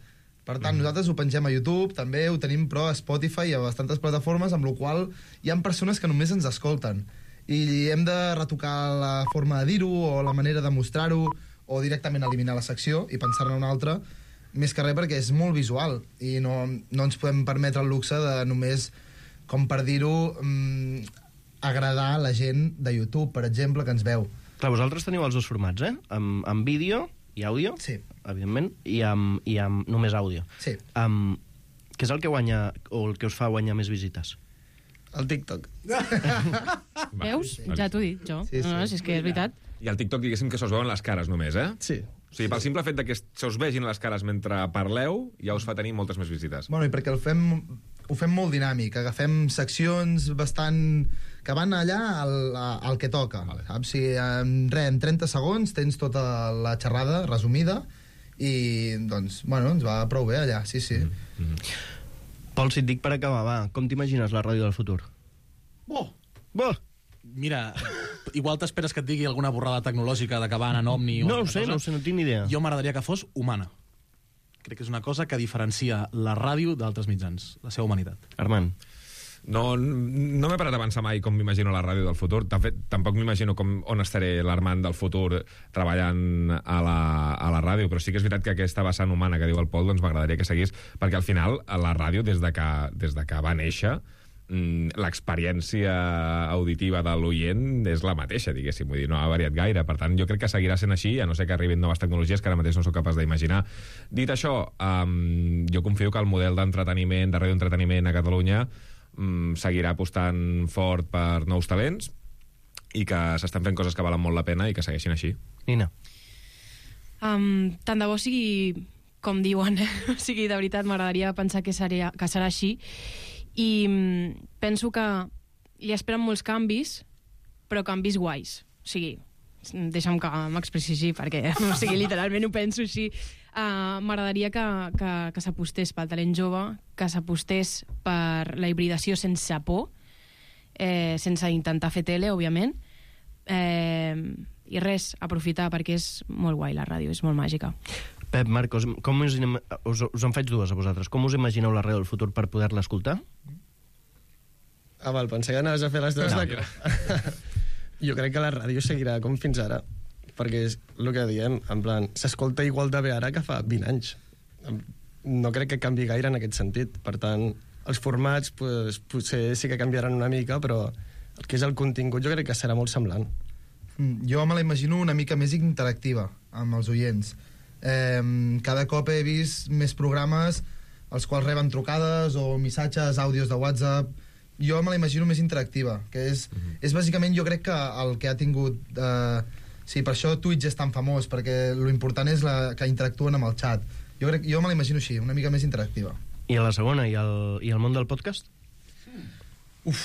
[SPEAKER 11] Per tant, mm. nosaltres ho pengem a YouTube, també ho tenim, però a Spotify i a bastantes plataformes, amb la qual hi ha persones que només ens escolten. I hem de retocar la forma de dir-ho, o la manera de mostrar-ho, o directament eliminar la secció i pensar-ne una altra, més que res perquè és molt visual i no, no ens podem permetre el luxe de només, com per dir-ho, mmm, agradar la gent de YouTube, per exemple, que ens veu.
[SPEAKER 2] Clar, vosaltres teniu els dos formats, eh? Amb, amb vídeo i àudio,
[SPEAKER 11] sí,
[SPEAKER 2] evidentment, i amb, i amb només àudio.
[SPEAKER 11] Sí.
[SPEAKER 2] Um, què és el que guanya, o el que us fa guanyar més visites?
[SPEAKER 8] El TikTok.
[SPEAKER 10] Veus? Ja t'ho he dit, jo.
[SPEAKER 11] Sí, sí.
[SPEAKER 10] No, no, si és que és veritat.
[SPEAKER 6] I al TikTok, diguéssim, que se us veuen les cares només, eh?
[SPEAKER 8] Sí.
[SPEAKER 6] O sigui, pel simple fet de que se us vegin les cares mentre parleu, ja us fa tenir moltes més visites.
[SPEAKER 11] Bueno, i perquè el fem, ho fem molt dinàmic, agafem seccions bastant... que van allà al, al que toca. Vale. Saps? Si en, re, en trenta segons tens tota la xerrada resumida i, doncs, bueno, ens va prou bé allà, sí, sí. Mm -hmm.
[SPEAKER 2] Pol, si et dic per acabar, va, com t'imagines la ràdio del futur?
[SPEAKER 11] Bo!
[SPEAKER 2] Bo!
[SPEAKER 3] Mira, igual t'esperes que et digui alguna borrada tecnològica d'acabar en Omni...
[SPEAKER 2] No ho sé, no ho sé, no tinc ni idea.
[SPEAKER 3] Jo m'agradaria que fos humana. Crec que és una cosa que diferencia la ràdio d'altres mitjans, la seva humanitat.
[SPEAKER 2] Armand.
[SPEAKER 6] No, no m'he parat a pensar mai com m'imagino la ràdio del futur. De fet, tampoc m'imagino com, on estaré l'Armand del futur treballant a la, a la ràdio, però sí que és veritat que aquesta vessant humana que diu el Pol doncs m'agradaria que seguís, perquè al final la ràdio, des de que, des de que va néixer, l'experiència auditiva de l'oient és la mateixa, diguéssim, vull dir, no ha variat gaire. Per tant, jo crec que seguirà sent així, a no ser que arribin noves tecnologies que ara mateix no sóc capaç d'imaginar. Dit això, um, jo confio que el model d'entreteniment, de radioentreteniment a Catalunya um, seguirà apostant fort per nous talents i que s'estan fent coses que valen molt la pena i que segueixin així.
[SPEAKER 2] Nina.
[SPEAKER 10] Um, tant de bo sigui com diuen, o sigui, de veritat m'agradaria pensar que serà, que serà així, i penso que li esperen molts canvis, però canvis guais. O sigui, deixa'm que m'expressi així, perquè o sigui, literalment ho penso així. Uh, M'agradaria que, que, que s'apostés pel talent jove, que s'apostés per la hibridació sense por, eh, sense intentar fer tele, òbviament, eh, i res, aprofitar, perquè és molt guai la ràdio, és molt màgica.
[SPEAKER 2] Pep, Marcos, com us, us, us en faig dues a vosaltres. Com us imagineu la ràdio del futur per poder-la escoltar?
[SPEAKER 8] Ah, val, pensé que anaves a fer les dues.
[SPEAKER 2] No.
[SPEAKER 8] De... Jo crec que la ràdio seguirà com fins ara, perquè és el que diem, en plan, s'escolta igual de bé ara que fa vint anys. No crec que canvi gaire en aquest sentit. Per tant, els formats pues, potser sí que canviaran una mica, però el que és el contingut jo crec que serà molt semblant.
[SPEAKER 11] Jo me la imagino una mica més interactiva amb els oients. Eh, cada cop he vist més programes els quals reben trucades o missatges, àudios de WhatsApp. Jo me la imagino més interactiva, que és, mm-hmm. és bàsicament jo crec que el que ha tingut eh, sí, per això Twitch és tan famós, perquè l'important és la, que interactuen amb el xat. Jo, crec, jo me la imagino així, una mica més interactiva.
[SPEAKER 2] I a la segona, i el, i el món del podcast?
[SPEAKER 11] Uf,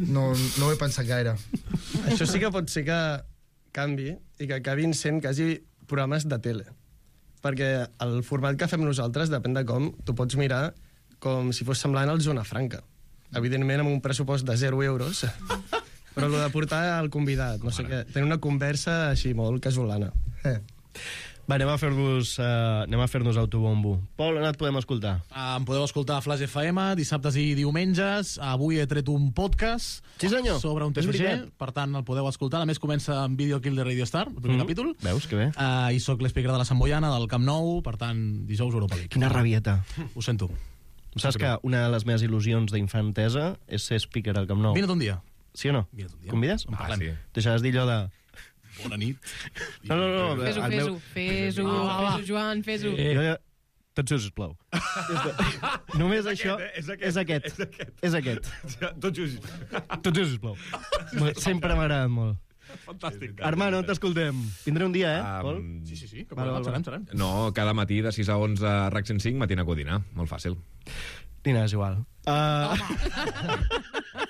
[SPEAKER 11] no, no ho he pensat gaire.
[SPEAKER 8] Això sí que pot ser que canvi i que acabin sent quasi programes de tele, perquè el format que fem nosaltres depèn de com tu pots mirar com si fos semblant al Zona Franca, evidentment amb un pressupost de zero euros, però el de portar el convidat, no sé què, tenir una conversa així molt casolana.
[SPEAKER 2] Eh. Va, anem a fer-nos uh, anem a fer-nos autobombo. Pol, on et podem escoltar?
[SPEAKER 3] Uh, em podeu escoltar a Flash F M dissabtes i diumenges. Avui he tret un podcast
[SPEAKER 2] sí, senyor.
[SPEAKER 3] sobre un T C G, per tant el podeu escoltar. A més comença amb Video Kill de Radio Star, el primer mm. capítol.
[SPEAKER 2] Veus, que bé.
[SPEAKER 3] Uh, I soc l'espeaker de la Sant Boiana, del Camp Nou, per tant, dijous Europa League.
[SPEAKER 2] Quina rabieta.
[SPEAKER 3] Ho sento.
[SPEAKER 2] Saps que una de les meves il·lusions d'infantesa és ser speaker al Camp Nou?
[SPEAKER 3] Vine un dia.
[SPEAKER 2] Sí o no?
[SPEAKER 3] Vine un dia.
[SPEAKER 2] Convides?
[SPEAKER 3] Ah, sí.
[SPEAKER 2] Deixaràs dir allò de...
[SPEAKER 3] Bona nit.
[SPEAKER 2] No, no, no.
[SPEAKER 10] Fes-ho, fes-ho, fes-ho, fes-ho, Joan, fes-ho.
[SPEAKER 2] Eh, tot just, sisplau. Només és això... És aquest. És aquest. És aquest. És aquest.
[SPEAKER 6] Tot just.
[SPEAKER 2] Tot just, sisplau. Sempre m'ha agradat molt.
[SPEAKER 6] Fantàstic.
[SPEAKER 2] Armand, on t'escoltem? Vindré un dia, eh,
[SPEAKER 6] um,
[SPEAKER 2] Pol?
[SPEAKER 3] Sí, sí, sí.
[SPEAKER 2] Val, val, val.
[SPEAKER 3] Serem, serem.
[SPEAKER 6] No, cada matí de sis a onze a R A C cent cinc, matina codina. Molt fàcil.
[SPEAKER 2] Nina, és igual. Uh...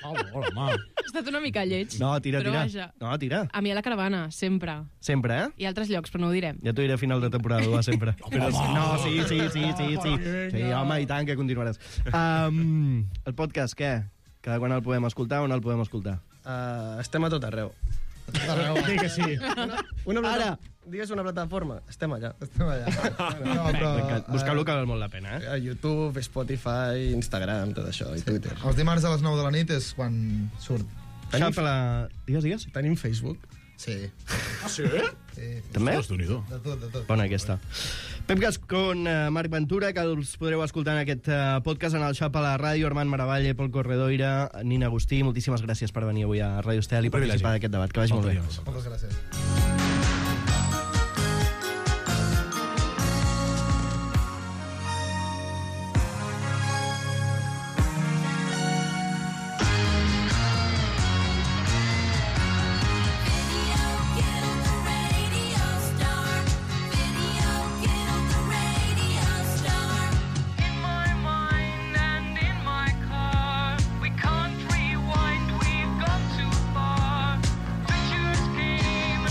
[SPEAKER 3] Oh, hola, home.
[SPEAKER 10] Ha estat una mica lleig.
[SPEAKER 2] No, tira,
[SPEAKER 10] però
[SPEAKER 2] tira.
[SPEAKER 10] Vaja.
[SPEAKER 2] No, tira.
[SPEAKER 10] A mi a la caravana, sempre.
[SPEAKER 2] Sempre, eh?
[SPEAKER 10] I a altres llocs, però no ho direm.
[SPEAKER 2] Ja t'ho diré a final de temporada, va, sempre. Però, no, sí, sí, sí, sí, sí. Sí, home, i tant, que continuaràs. Um, el podcast, què? Cada quan el podem escoltar, on el podem escoltar?
[SPEAKER 8] Uh, estem a tot arreu.
[SPEAKER 2] Dic que sí.
[SPEAKER 8] Una, una plata...
[SPEAKER 2] Ara!
[SPEAKER 8] Digues una plataforma. Estem allà.
[SPEAKER 11] Estem allà. No, però,
[SPEAKER 2] Buscar-lo que val molt la pena, eh?
[SPEAKER 8] A YouTube, Spotify, Instagram, tot això, i Twitter.
[SPEAKER 11] Els dimarts a les nou de la nit és quan surt.
[SPEAKER 2] Tenim... la... Digues, digues.
[SPEAKER 8] Tenim Facebook.
[SPEAKER 11] Sí.
[SPEAKER 3] Ah, sí?
[SPEAKER 11] Sí.
[SPEAKER 2] També?
[SPEAKER 3] Déu-n'hi-do.
[SPEAKER 11] De tot, de tot.
[SPEAKER 2] Bona aquesta. Pep Gascon, uh, Marc Ventura, que els podreu escoltar en aquest uh, podcast, en el Xap a la ràdio, Armand Maravalle, Pol Corredoira, Nina Agustí, moltíssimes gràcies per venir avui a Ràdio Estel i participar d'aquest debat. Que vagi molt bé.
[SPEAKER 11] Moltes gràcies.
[SPEAKER 12] We've gone too far. Pictures came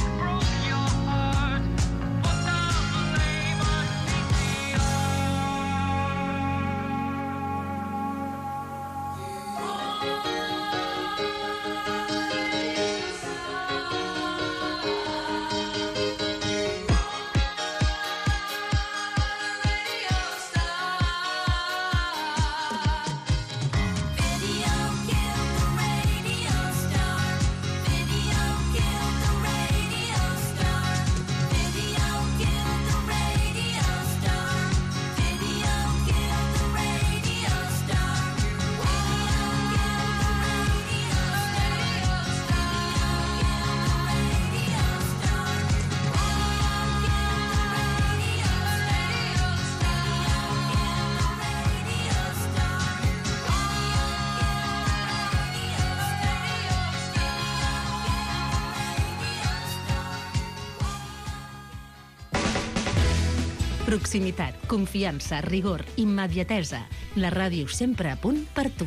[SPEAKER 12] Proximitat, confiança, rigor, immediatesa. La ràdio sempre a punt per tu.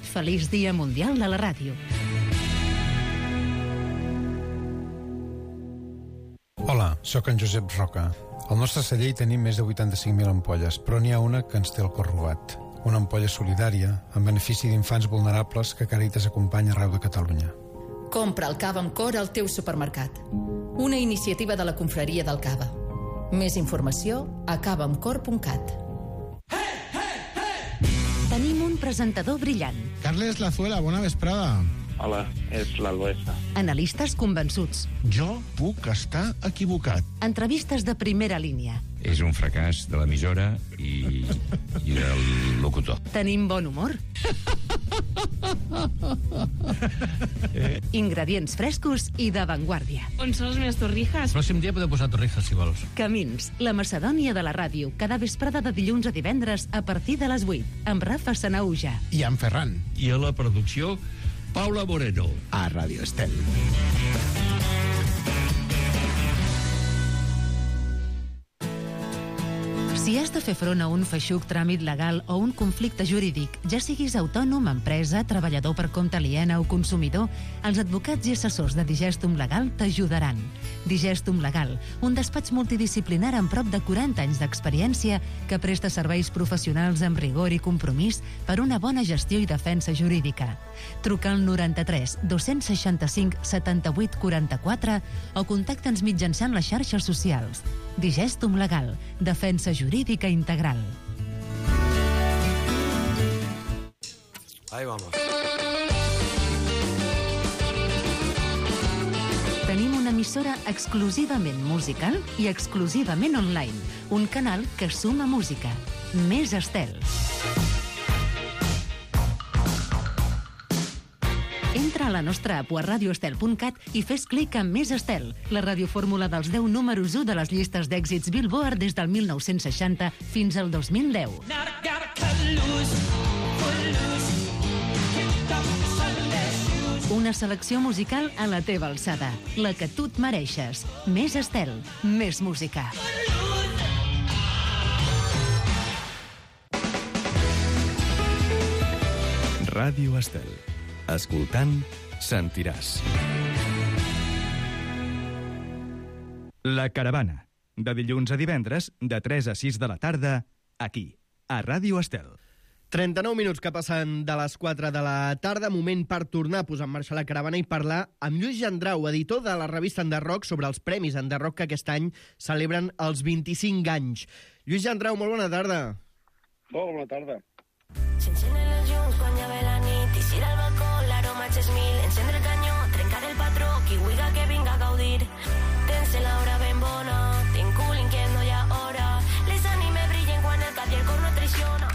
[SPEAKER 12] Feliç Dia Mundial de la Ràdio.
[SPEAKER 13] Hola, sóc en Josep Roca. Al nostre celler hi tenim més de vuitanta-cinc mil ampolles, però n'hi ha una que ens té el cor robat. Una ampolla solidària, en benefici d'infants vulnerables que Càritas acompanya arreu de Catalunya.
[SPEAKER 14] Compra el cava amb cor al teu supermercat. Una iniciativa de la confraria del cava. Més informació a cava amb cor punt cat.
[SPEAKER 12] Tenim un presentador brillant.
[SPEAKER 15] Carles Lazuela, bona vesprada.
[SPEAKER 16] Hola, és l'Alboesa.
[SPEAKER 12] Analistes convençuts.
[SPEAKER 15] Jo puc estar equivocat.
[SPEAKER 12] Entrevistes de primera línia.
[SPEAKER 17] És un fracàs de l'emissora i, i del locutor.
[SPEAKER 12] Tenim bon humor. Ingredients frescos i d'avantguàrdia.
[SPEAKER 10] On són les meves torrijas?
[SPEAKER 18] El pròxim dia podeu posar torrijas, si vols.
[SPEAKER 12] Camins, la Macedònia de la ràdio, cada vesprada de dilluns a divendres a partir de les vuit, amb Rafa Sanauja.
[SPEAKER 15] I en Ferran.
[SPEAKER 17] I a la producció, Paula Moreno.
[SPEAKER 15] A Ràdio Estel.
[SPEAKER 12] Si has de fer front a un feixuc tràmit legal o un conflicte jurídic, ja siguis autònom, empresa, treballador per compte aliena o consumidor, els advocats i assessors de Digestum Legal t'ajudaran. Digestum Legal, un despatx multidisciplinar amb prop de quaranta anys d'experiència que presta serveis professionals amb rigor i compromís per una bona gestió i defensa jurídica. Truca al noranta-tres dos-cents seixanta-cinc setanta-vuit quaranta-quatre o contacta'ns mitjançant les xarxes socials. Digestum Legal, defensa jurídica integral.
[SPEAKER 19] Ahí vamos.
[SPEAKER 12] Tenim una emissora exclusivament musical i exclusivament online. Un canal que suma música. Més Estel. Entra a la nostra app a radioestel punt cat i fes clic en Més Estel, la radiofórmula dels deu números u de les llistes d'èxits Billboard des del mil nou-cents seixanta fins al dos mil deu. Una selecció musical a la teva alçada, la que tu et mereixes. Més Estel, més música.
[SPEAKER 20] Ràdio Estel. Escoltant, sentiràs.
[SPEAKER 1] La Caravana. De dilluns a divendres, de tres a sis de la tarda, aquí, a Ràdio Estel.
[SPEAKER 2] trenta-nou minuts que passen de les quatre de la tarda, moment per tornar a posar en marxa la Caravana i parlar amb Lluís Gendrau, editor de la revista Enderrock, sobre els premis Enderrock que aquest any celebren els vint-i-cinc anys. Lluís Gendrau, molt bona tarda.
[SPEAKER 16] Molt bona tarda.
[SPEAKER 21] S'encenen els llums quan ja ve la nit i si al balcó l'aroma és mil. Encendre el canyó, trencar el patró, qui vulga que vinga a gaudir. Tense l'hora ben bona, tinc cul inquiet, no hi ha hora. Les ànimes brillen quan el cap i el cor no traiciona.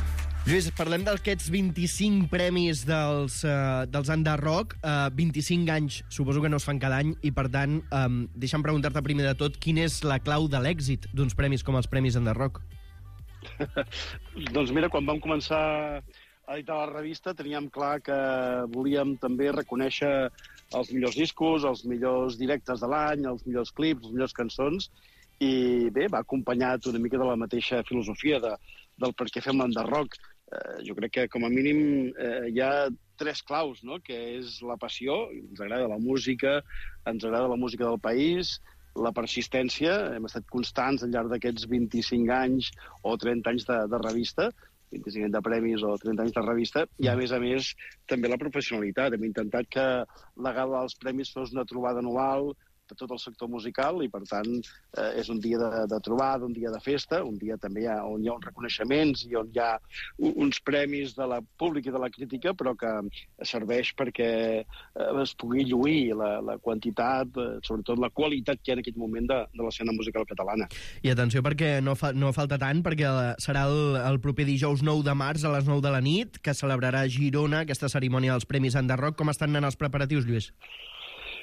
[SPEAKER 2] Lluís, parlem d'aquests vint-i-cinc premis dels, uh, dels Enderrock. Uh, vint-i-cinc anys, suposo que no es fan cada any, i per tant, um, deixa'm preguntar-te primer de tot, quina és la clau de l'èxit d'uns premis com els premis Enderrock?
[SPEAKER 16] Doncs mira, quan vam començar a editar la revista teníem clar que volíem també reconèixer els millors discos, els millors directes de l'any, els millors clips, les millors cançons, i bé, va acompanyat una mica de la mateixa filosofia de, del per què fem l'Enderrock. Eh, jo crec que com a mínim eh, hi ha tres claus, no?, que és la passió, ens agrada la música, ens agrada la música del país, la persistència, hem estat constants al llarg d'aquests vint-i-cinc anys o trenta anys de, de revista, vint-i-cinc anys de premis o trenta anys de revista, i a més a més també la professionalitat. Hem intentat que la gala dels premis fos una trobada anual de tot el sector musical i, per tant, eh, és un dia de, de trobada, un dia de festa, un dia també ha, on hi ha uns reconeixements i on hi ha uns premis de la pública i de la crítica, però que serveix perquè eh, es pugui lluir la, la quantitat, eh, sobretot la qualitat que hi ha en aquest moment de, de l'escena musical catalana.
[SPEAKER 2] I atenció, perquè no, fa, no falta tant, perquè serà el, el proper dijous nou de març a les nou de la nit, que celebrarà a Girona aquesta cerimònia dels Premis Enderrock. Com estan anant els preparatius, Lluís?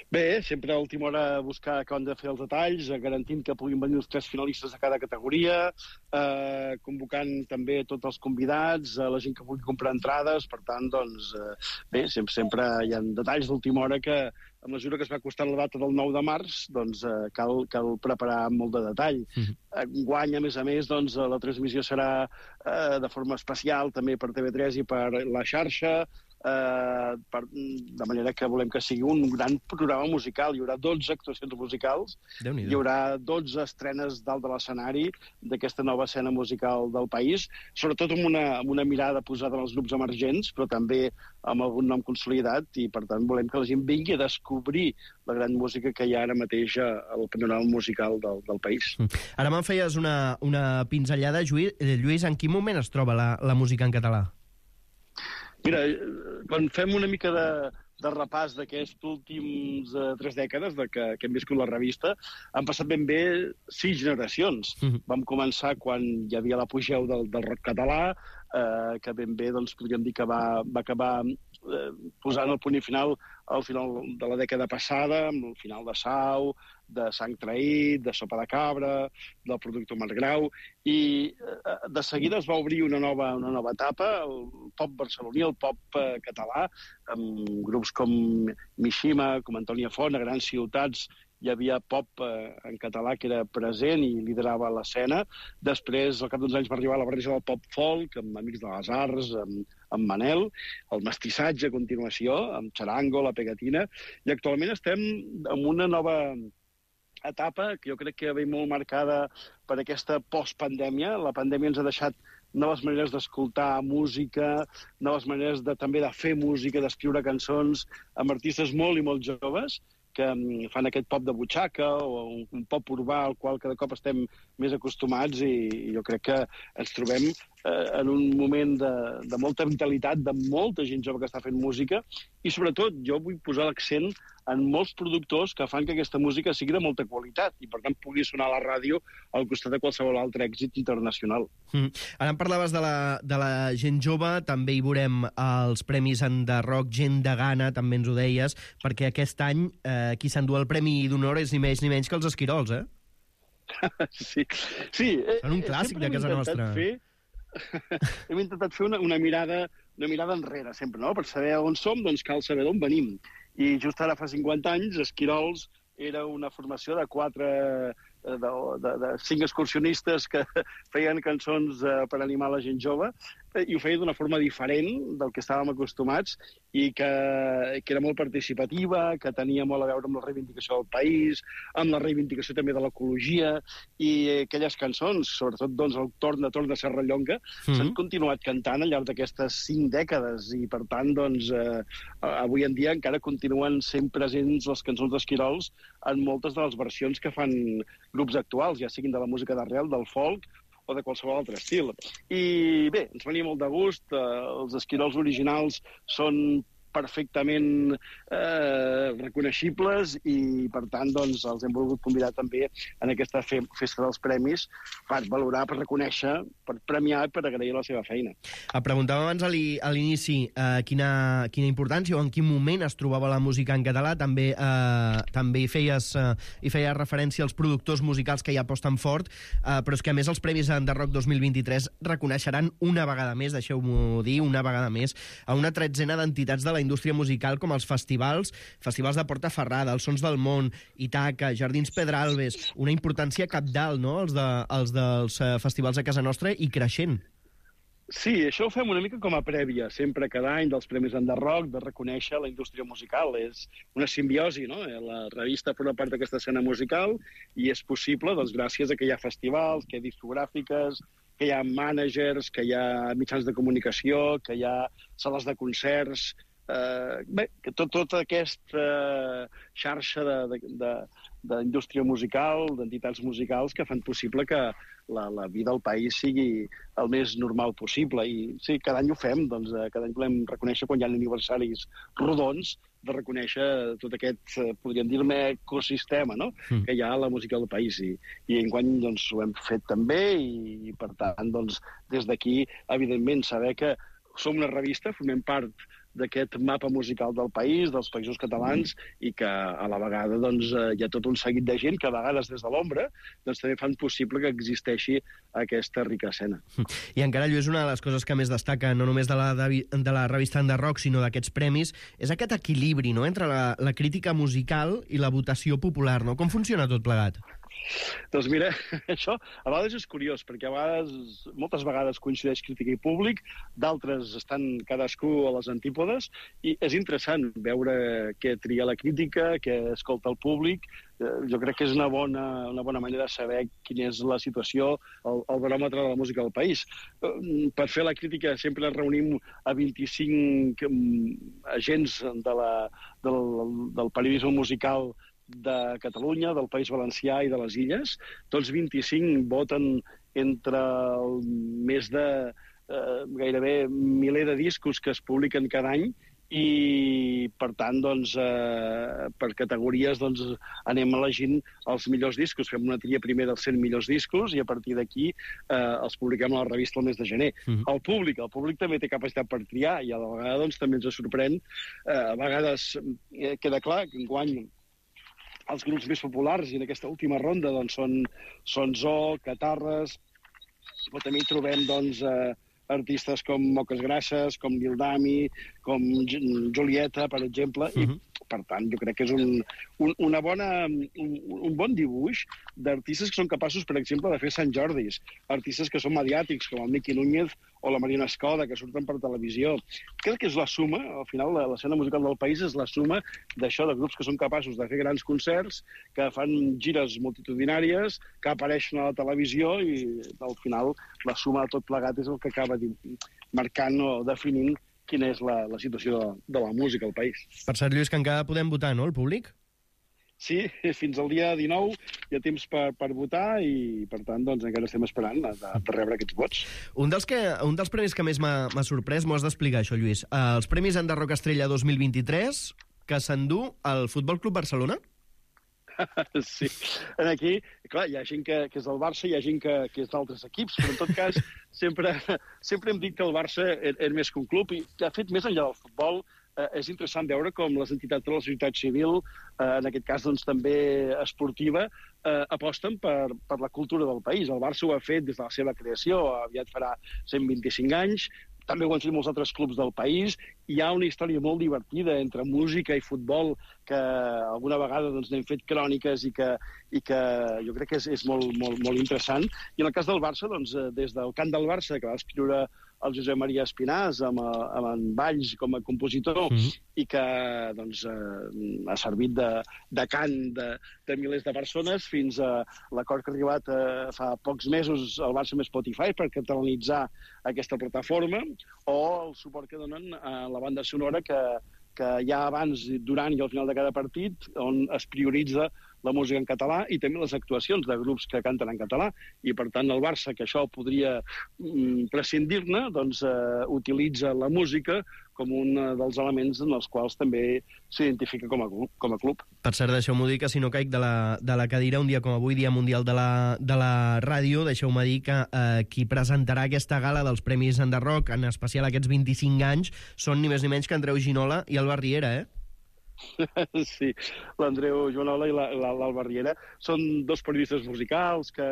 [SPEAKER 16] Bé, sempre a última hora buscar com han de fer els detalls, garantint que puguin venir els tres finalistes de cada categoria, eh, convocant també tots els convidats, eh, la gent que vulgui comprar entrades. Per tant, doncs, eh, bé, sempre, sempre hi ha detalls d'última hora que a mesura que es va acostant la data del nou de març, doncs eh, cal, cal preparar molt de detall. Mm-hmm. Enguany, a més a més, doncs, la transmissió serà eh, de forma especial també per T V tres i per la xarxa, eh, per, de manera que volem que sigui un gran programa musical. Hi haurà dotze actuacions musicals, hi haurà dotze estrenes dalt de l'escenari d'aquesta nova escena musical del país, sobretot amb una, amb una mirada posada en els grups emergents, però també amb algun nom consolidat, i per tant volem que la gent vingui a descobrir la gran música que hi ha ara mateix al panorama musical del, del país.
[SPEAKER 2] Ara me'n feies una, una pinzellada, Lluís. Lluís, en quin moment es troba la, la música en català?
[SPEAKER 16] Mira, quan fem una mica de, de repàs d'aquests últims uh, tres dècades de que, que hem viscut la revista, han passat ben bé sis generacions. Mm-hmm. Vam començar quan hi havia l'apogeu del, del rock català, eh, que ben bé doncs, podríem dir que va, va acabar eh, posant el punt i final al final de la dècada passada, amb el final de Sau, de Sang Traït, de Sopa de Cabra, del Productor Margrau, i eh, de seguida es va obrir una nova, una nova etapa, el pop barceloní, el pop eh, català, amb grups com Mishima, com Antònia Font, a grans ciutats. Hi havia pop eh, en català que era present i liderava l'escena. Després, al cap d'uns anys, va arribar la barreja del pop-folk, amb Amics de les Arts, amb, amb Manel, el mestissatge a continuació, amb Charango, la Pegatina, i actualment estem en una nova etapa que jo crec que ve molt marcada per aquesta postpandèmia. La pandèmia ens ha deixat noves maneres d'escoltar música, noves maneres de, també de fer música, d'escriure cançons, amb artistes molt i molt joves, que fan aquest pop de butxaca o un, un pop urbà al qual cada cop estem més acostumats, i, i jo crec que ens trobem eh, en un moment de, de molta vitalitat, de molta gent jove que està fent música, i sobretot jo vull posar l'accent en molts productors que fan que aquesta música sigui de molta qualitat i per tant pugui sonar a la ràdio al costat de qualsevol altre èxit internacional.
[SPEAKER 2] Mm. Ara em parlaves de la, de la gent jove, també hi veurem els premis en de rock, gent de gana, també ens ho deies, perquè aquest any eh, qui s'endú el premi d'honor és ni més ni menys que els Esquirols, eh?
[SPEAKER 16] Sí, sí.
[SPEAKER 2] Són un clàssic de casa nostra.
[SPEAKER 16] Fer... hem intentat fer una, una, mirada, una mirada enrere, sempre, no? Per saber on som, doncs cal saber d'on venim. I just ara fa cinquanta anys, Esquirols era una formació de quatre, de, de, de cinc excursionistes que feien cançons eh, per animar la gent jove, eh, i ho feia d'una forma diferent del que estàvem acostumats, i que, que era molt participativa, que tenia molt a veure amb la reivindicació del país, amb la reivindicació també de l'ecologia, i aquelles cançons, sobretot doncs, el Torna, Torna, Serrallonga, mm-hmm. s'han continuat cantant al llarg d'aquestes cinc dècades, i per tant, doncs, eh, avui en dia encara continuen sent presents les cançons d'Esquirols en moltes de les versions que fan grups actuals, ja siguin de la música d'arrel, del folk, o de qualsevol altre estil. I bé, ens venia molt de gust, eh, els Esquirols originals són perfectament eh, reconeixibles, i per tant doncs, els hem volgut convidar també en aquesta fe festa dels premis per valorar, per reconèixer, per premiar i per agrair la seva feina.
[SPEAKER 2] Et preguntava abans a l'inici eh, quina, quina importància o en quin moment es trobava la música en català. També, eh, també hi, feies, eh, hi feies referència als productors musicals que hi aposten fort, eh, però és que a més els Premis de Rock dos mil vint-i-tres reconeixeran una vegada més, deixeu-m'ho dir, una vegada més, a una tretzena d'entitats de la indústria musical, com els festivals, festivals de Portaferrada, els Sons del Món, Itaca, Jardins Pedralbes, una importància cabdal, no?, els, de, els dels uh, festivals a casa nostra, i creixent.
[SPEAKER 16] Sí, això ho fem una mica com a prèvia, sempre cada any dels Premis de Rock, de reconèixer la indústria musical. És una simbiosi, no? La revista forma part d'aquesta escena musical, i és possible, doncs, gràcies a que hi ha festivals, que hi ha discogràfiques, que hi ha mànagers, que hi ha mitjans de comunicació, que hi ha sales de concerts. Uh, bé, que tot, tota aquesta uh, xarxa d'indústria musical, d'entitats musicals que fan possible que la, la vida al país sigui el més normal possible. I sí, cada any ho fem, doncs, uh, cada any volem reconèixer quan hi ha aniversaris rodons, de reconèixer tot aquest, uh, podríem dir-ne, ecosistema, no?, mm. que hi ha a la música del país. I, i enguany doncs, ho hem fet també, i, i per tant, doncs, des d'aquí, evidentment, saber que som una revista, formem part d'aquest mapa musical del país, dels països catalans, i que a la vegada doncs, hi ha tot un seguit de gent que a vegades des de l'ombra doncs, també fan possible que existeixi aquesta rica escena.
[SPEAKER 2] I encara, Lluís, una de les coses que més destaca, no només de la, de la revista Enderrock, sinó d'aquests premis, és aquest equilibri, no?, entre la, la crítica musical i la votació popular, no? Com funciona tot plegat?
[SPEAKER 16] Doncs mira, això a vegades és curiós, perquè a vegades, moltes vegades coincideix crítica i públic, d'altres estan cadascú a les antípodes, i és interessant veure què tria la crítica, què escolta el públic. Jo crec que és una bona, una bona manera de saber quina és la situació, el, el baròmetre de la música del país. Per fer la crítica sempre reunim a vint-i-cinc agents de la, del, del periodisme musical de Catalunya, del País Valencià i de les Illes. Tots vint-i-cinc voten entre el més de eh, gairebé miler de discos que es publiquen cada any, i per tant doncs, eh, per categories doncs, anem elegint els millors discos, fem una tria primer dels cent millors discos i a partir d'aquí eh, els publiquem a la revista el mes de gener. Mm-hmm. El públic, el públic també té capacitat per triar i a la vegada doncs, també ens sorprèn, eh, a vegades eh, queda clar que enguany els grups més populars, i en aquesta última ronda doncs, són, són Zoo, Catarres, però també hi trobem doncs, eh, artistes com Moques Grasses, com Dildami, com Julieta, per exemple, uh-huh. i per tant jo crec que és un, un, una bona, un, un bon dibuix d'artistes que són capaços, per exemple, de fer Sant Jordis, artistes que són mediàtics, com el Miqui Núñez o la Mariona Escoda, que surten per televisió. Crec que és la suma, al final l'escena musical del país és la suma d'això, de grups que són capaços de fer grans concerts, que fan gires multitudinàries, que apareixen a la televisió i al final la suma de tot plegat és el que acaba marcant o definint quina és la, la situació de, de la música al país.
[SPEAKER 2] Per cert, Lluís, que encara podem votar, no, el públic?
[SPEAKER 16] Sí, fins al dia dinou hi ha temps per, per votar i, per tant, doncs, encara estem esperant de, de rebre aquests vots.
[SPEAKER 2] Un dels, que, un dels premis que més m'ha sorprès, m'ho has d'explicar, això, Lluís. Uh, els Premis Enderrock Estrella dos mil vint-i-tres, que s'endú el Futbol Club Barcelona?
[SPEAKER 16] Sí, aquí, clar, hi ha gent que, que és del Barça, hi ha gent que, que és d'altres equips, però en tot cas sempre, sempre hem dit que el Barça és, és més que un club i, de fet, més enllà del futbol, eh, és interessant veure com les entitats de la societat civil, eh, en aquest cas doncs, també esportiva, eh, aposten per, per la cultura del país. El Barça ho ha fet des de la seva creació, aviat farà cent vint-i-cinc anys, també ho han fet molts altres clubs del país. Hi ha una història molt divertida entre música i futbol que alguna vegada doncs, n'hem fet cròniques i que, i que jo crec que és, és molt, molt, molt interessant. I en el cas del Barça, doncs, des del cant del Barça, que va escriure el Josep Maria Espinàs amb, amb en Valls com a compositor, mm-hmm. i que doncs, eh, ha servit de, de cant de, de milers de persones, fins a l'acord que ha arribat eh, fa pocs mesos al Barça amb Spotify per catalanitzar aquesta plataforma, o el suport que donen a la banda sonora que, que hi ha abans, durant i al final de cada partit, on es prioritza la música en català i també les actuacions de grups que canten en català. I, per tant, el Barça, que això podria mm, prescindir-ne, doncs eh, utilitza la música com un dels elements en els quals també s'identifica com, com a club.
[SPEAKER 2] Per cert, deixeu-m'ho dir que si no caic de la, de la cadira, un dia com avui, Dia Mundial de la, de la Ràdio, deixeu-me dir que eh, qui presentarà aquesta gala dels Premis Enderrock, en especial aquests vint-i-cinc anys, són ni més ni menys que Andreu Ginola i Alba Riera, eh?
[SPEAKER 16] Sí, l'Andreu Joanola i l'Alba Riera són dos periodistes musicals que,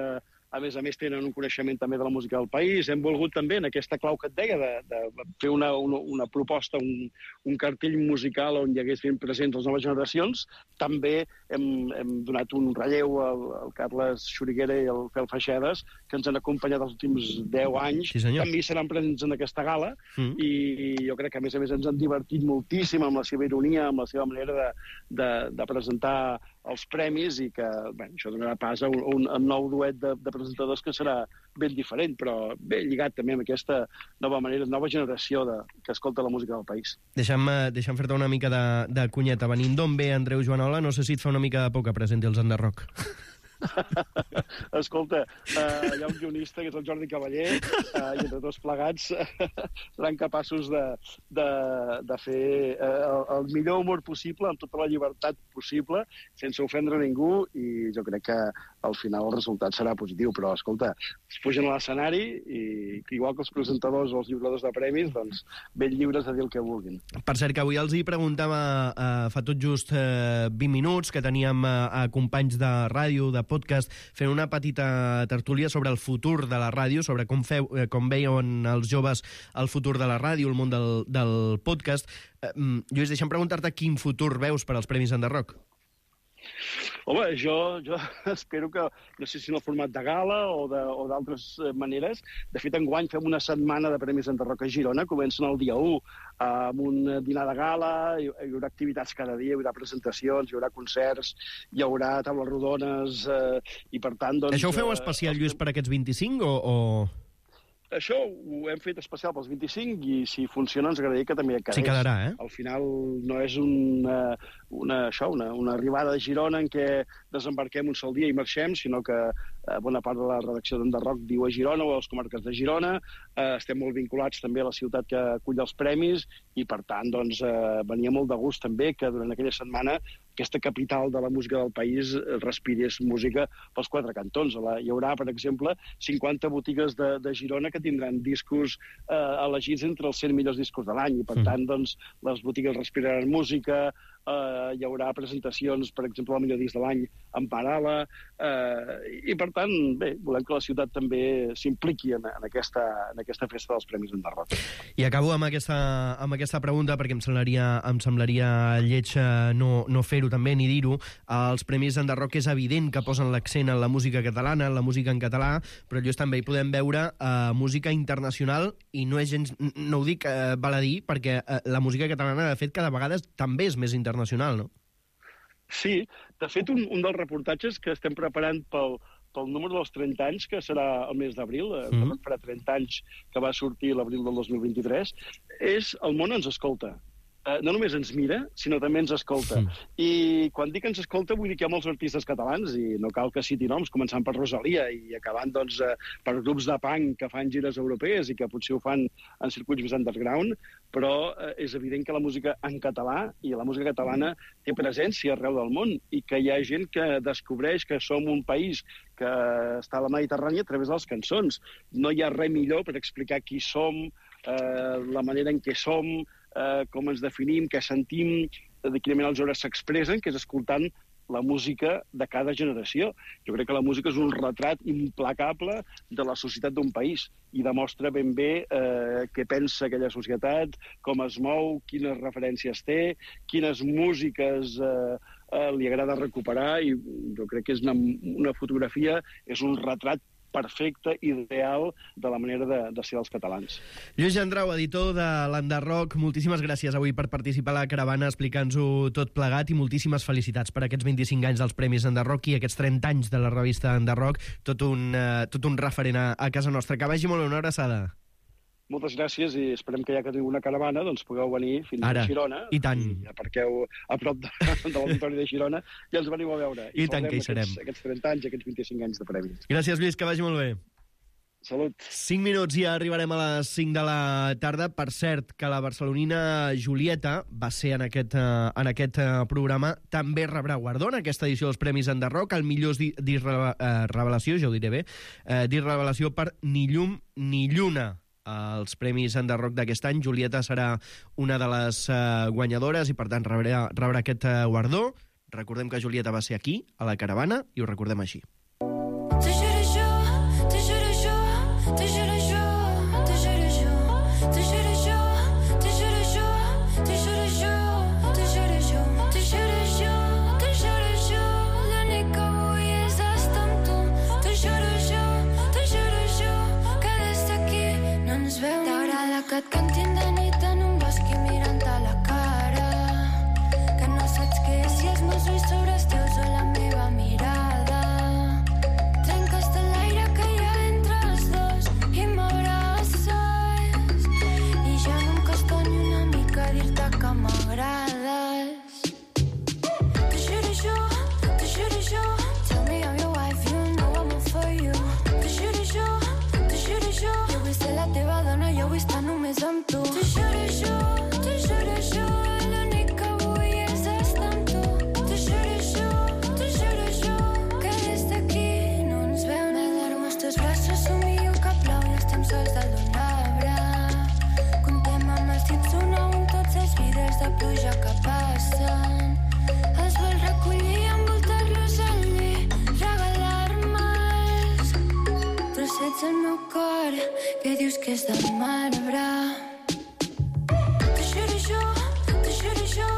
[SPEAKER 16] a més a més, tenen un coneixement també de la música del país. Hem volgut també, en aquesta clau que et deia, de, de fer una, una, una proposta, un, un cartell musical on hi hagués ben presents les noves generacions. També hem, hem donat un relleu al, al Carles Xuriguera i al Fel Feixedes, que ens han acompanyat els últims deu anys.
[SPEAKER 2] Sí,
[SPEAKER 16] també seran presents en aquesta gala, mm. i jo crec que, a més a més, ens han divertit moltíssim amb la seva ironia, amb la seva manera de, de, de presentar els premis, i que bé, això donarà pas a un, un, un nou duet de, de presentadors que serà ben diferent, però ben lligat també amb aquesta nova manera, nova generació de, que escolta la música del país.
[SPEAKER 2] Deixa'm, deixa'm fer-te una mica de, de cunyeta. Venint d'on ve Andreu Joanola, no sé si et fa una mica de por que presenti els Enderrock.
[SPEAKER 16] Escolta, uh, hi ha un guionista, que és el Jordi Cavaller, uh, i entre tots plegats seran capaços de, de, de fer uh, el millor humor possible, amb tota la llibertat possible, sense ofendre ningú, i jo crec que al final el resultat serà positiu. Però, escolta, es pugen a l'escenari i, igual que els presentadors o els lliuradors de premis, doncs ben lliures de dir el que vulguin.
[SPEAKER 2] Per cert, que avui els hi preguntava eh, fa tot just eh, vint minuts, que teníem eh, companys de ràdio, de podcast, fent una petita tertúlia sobre el futur de la ràdio, sobre com, feu, eh, com veien els joves el futur de la ràdio, el món del, del podcast. Eh, Lluís, deixa'm preguntar-te quin futur veus per als Premis Enderrock.
[SPEAKER 16] Home, jo, jo espero que, no sé si en el format de gala o d'altres maneres, de fet, enguany fem una setmana de Premis Enderrock a Girona, comencen el dia u, amb un dinar de gala, hi haurà activitats cada dia, hi haurà presentacions, hi haurà concerts, hi haurà taules rodones, eh, i per tant... Doncs,
[SPEAKER 2] Això ho feu especial, Lluís, per aquests vint-i-cinc o...? o...
[SPEAKER 16] Això ho hem fet especial pels vint-i-cinc i si funciona ens agradaria que també quedés.
[SPEAKER 2] Sí, quedarà, eh?
[SPEAKER 16] Al final no és una, una, això, una, una arribada de Girona en què desembarquem un sol dia i marxem, sinó que eh, bona part de la redacció d'Enderrock viu a Girona o a les comarques de Girona. Eh, estem molt vinculats també a la ciutat que acull els premis i, per tant, doncs, eh, venia molt de gust també que durant aquella setmana aquesta capital de la música del país respirés música pels quatre cantons. Hi haurà, per exemple, cinquanta botigues de, de Girona que tindran discos eh, elegits entre els cent millors discos de l'any i, per tant, doncs, les botigues respiraran música, eh, hi haurà presentacions, per exemple, el millor disc de l'any en Parala, eh, i, per tant, bé, volem que la ciutat també s'impliqui en, en, aquesta, en aquesta festa dels Premis Enderrock.
[SPEAKER 2] I acabo amb aquesta, amb aquesta pregunta, perquè em semblaria, em semblaria lleig no, no fer-ho també, ni dir-ho. Els Premis Enderrock és evident que posen l'accent en la música catalana, en la música en català, però just també hi podem veure eh, música internacional, i no és gens, no ho dic, eh, val a dir, perquè eh, la música catalana, de fet, cada vegada també és més internacional, no?
[SPEAKER 16] Sí, de fet, un, un dels reportatges que estem preparant pel, pel número dels trenta anys, que serà el mes d'abril, mm. farà trenta anys que va sortir l'abril del dos mil vint-i-tres, és El món ens escolta. Uh, no només ens mira, sinó també ens escolta. Mm. I quan dic ens escolta vull dir que hi ha molts artistes catalans, i no cal que citi noms, començant per Rosalia i acabant doncs, uh, per grups de punk que fan gires europees i que potser ho fan en circuits més underground, però uh, és evident que la música en català i la música catalana té presència arreu del món i que hi ha gent que descobreix que som un país que està a la Mediterrània a través de les cançons. No hi ha res millor per explicar qui som, uh, la manera en què som, Uh, com ens definim, què sentim, de quina manera els joves s'expressen, que és escoltant la música de cada generació. Jo crec que la música és un retrat implacable de la societat d'un país i demostra ben bé eh, què pensa aquella societat, com es mou, quines referències té, quines músiques eh, eh, li agrada recuperar, i jo crec que és una, una fotografia, és un retrat perfecte, ideal, de la manera de, de ser els catalans.
[SPEAKER 2] Lluís Gendrau, editor de l'Enderrock, moltíssimes gràcies avui per participar a la caravana explicant-ho tot plegat, i moltíssimes felicitats per aquests vint-i-cinc anys dels Premis Enderrock i aquests trenta anys de la revista Enderrock, tot un, uh, tot un referent a, a casa nostra. Que vagi molt bé, una abraçada.
[SPEAKER 16] Moltes gràcies, i esperem que ja que teniu una caravana doncs pugueu venir fins
[SPEAKER 2] Ara,
[SPEAKER 16] a Girona.
[SPEAKER 2] I tant.
[SPEAKER 16] I aparqueu a prop de, de l'auditori de Girona i ens veniu a veure.
[SPEAKER 2] I, I tant que hi serem.
[SPEAKER 16] Aquests, aquests trenta anys, aquests vint-i-cinc anys de premis.
[SPEAKER 2] Gràcies, Lluís, que vagi molt bé.
[SPEAKER 16] Salut.
[SPEAKER 2] cinc minuts i ja arribarem a les cinc de la tarda. Per cert, que la barcelonina Julieta va ser en aquest, uh, en aquest uh, programa, també rebrà guardó en aquesta edició dels Premis Enderrock, el millor disc uh, revelació, ja ho diré bé, uh, disc revelació per Ni llum ni lluna. Els Premis Enderrock d'aquest any. Julieta serà una de les uh, guanyadores i, per tant, rebrà, rebrà aquest uh, guardó. Recordem que Julieta va ser aquí, a la caravana, i ho recordem així.
[SPEAKER 21] Que et cantin de nit en un bosc i mirant a la cara, que no saps què és si els meus ulls sobre els teus o la meva mirada. Trenques tot l'aire que hi ha entre els dos i m'abraces, i ja no em costa ni una mica dir-te que m'agrades. T'ho juro jo, t'ho juro jo, tell me I'm your wife ser la teva dona, jo vull estar només amb tu. T'ho juro jo, t'ho juro jo, l'únic que vull és estar amb tu. T'ho juro jo, t'ho juro jo, que des d'aquí no ens veu ningú. M'alarmo als teus braços, somio que plou i estem sols dalt d'un arbre. Contem amb els dits un a un tots els vidres de pluja que passen. Els vols recollir, envoltar-los al llit, regalar-me'ls trossets al meu cor que dius que és de marbre. T'ho juro jo, t'ho juro jo,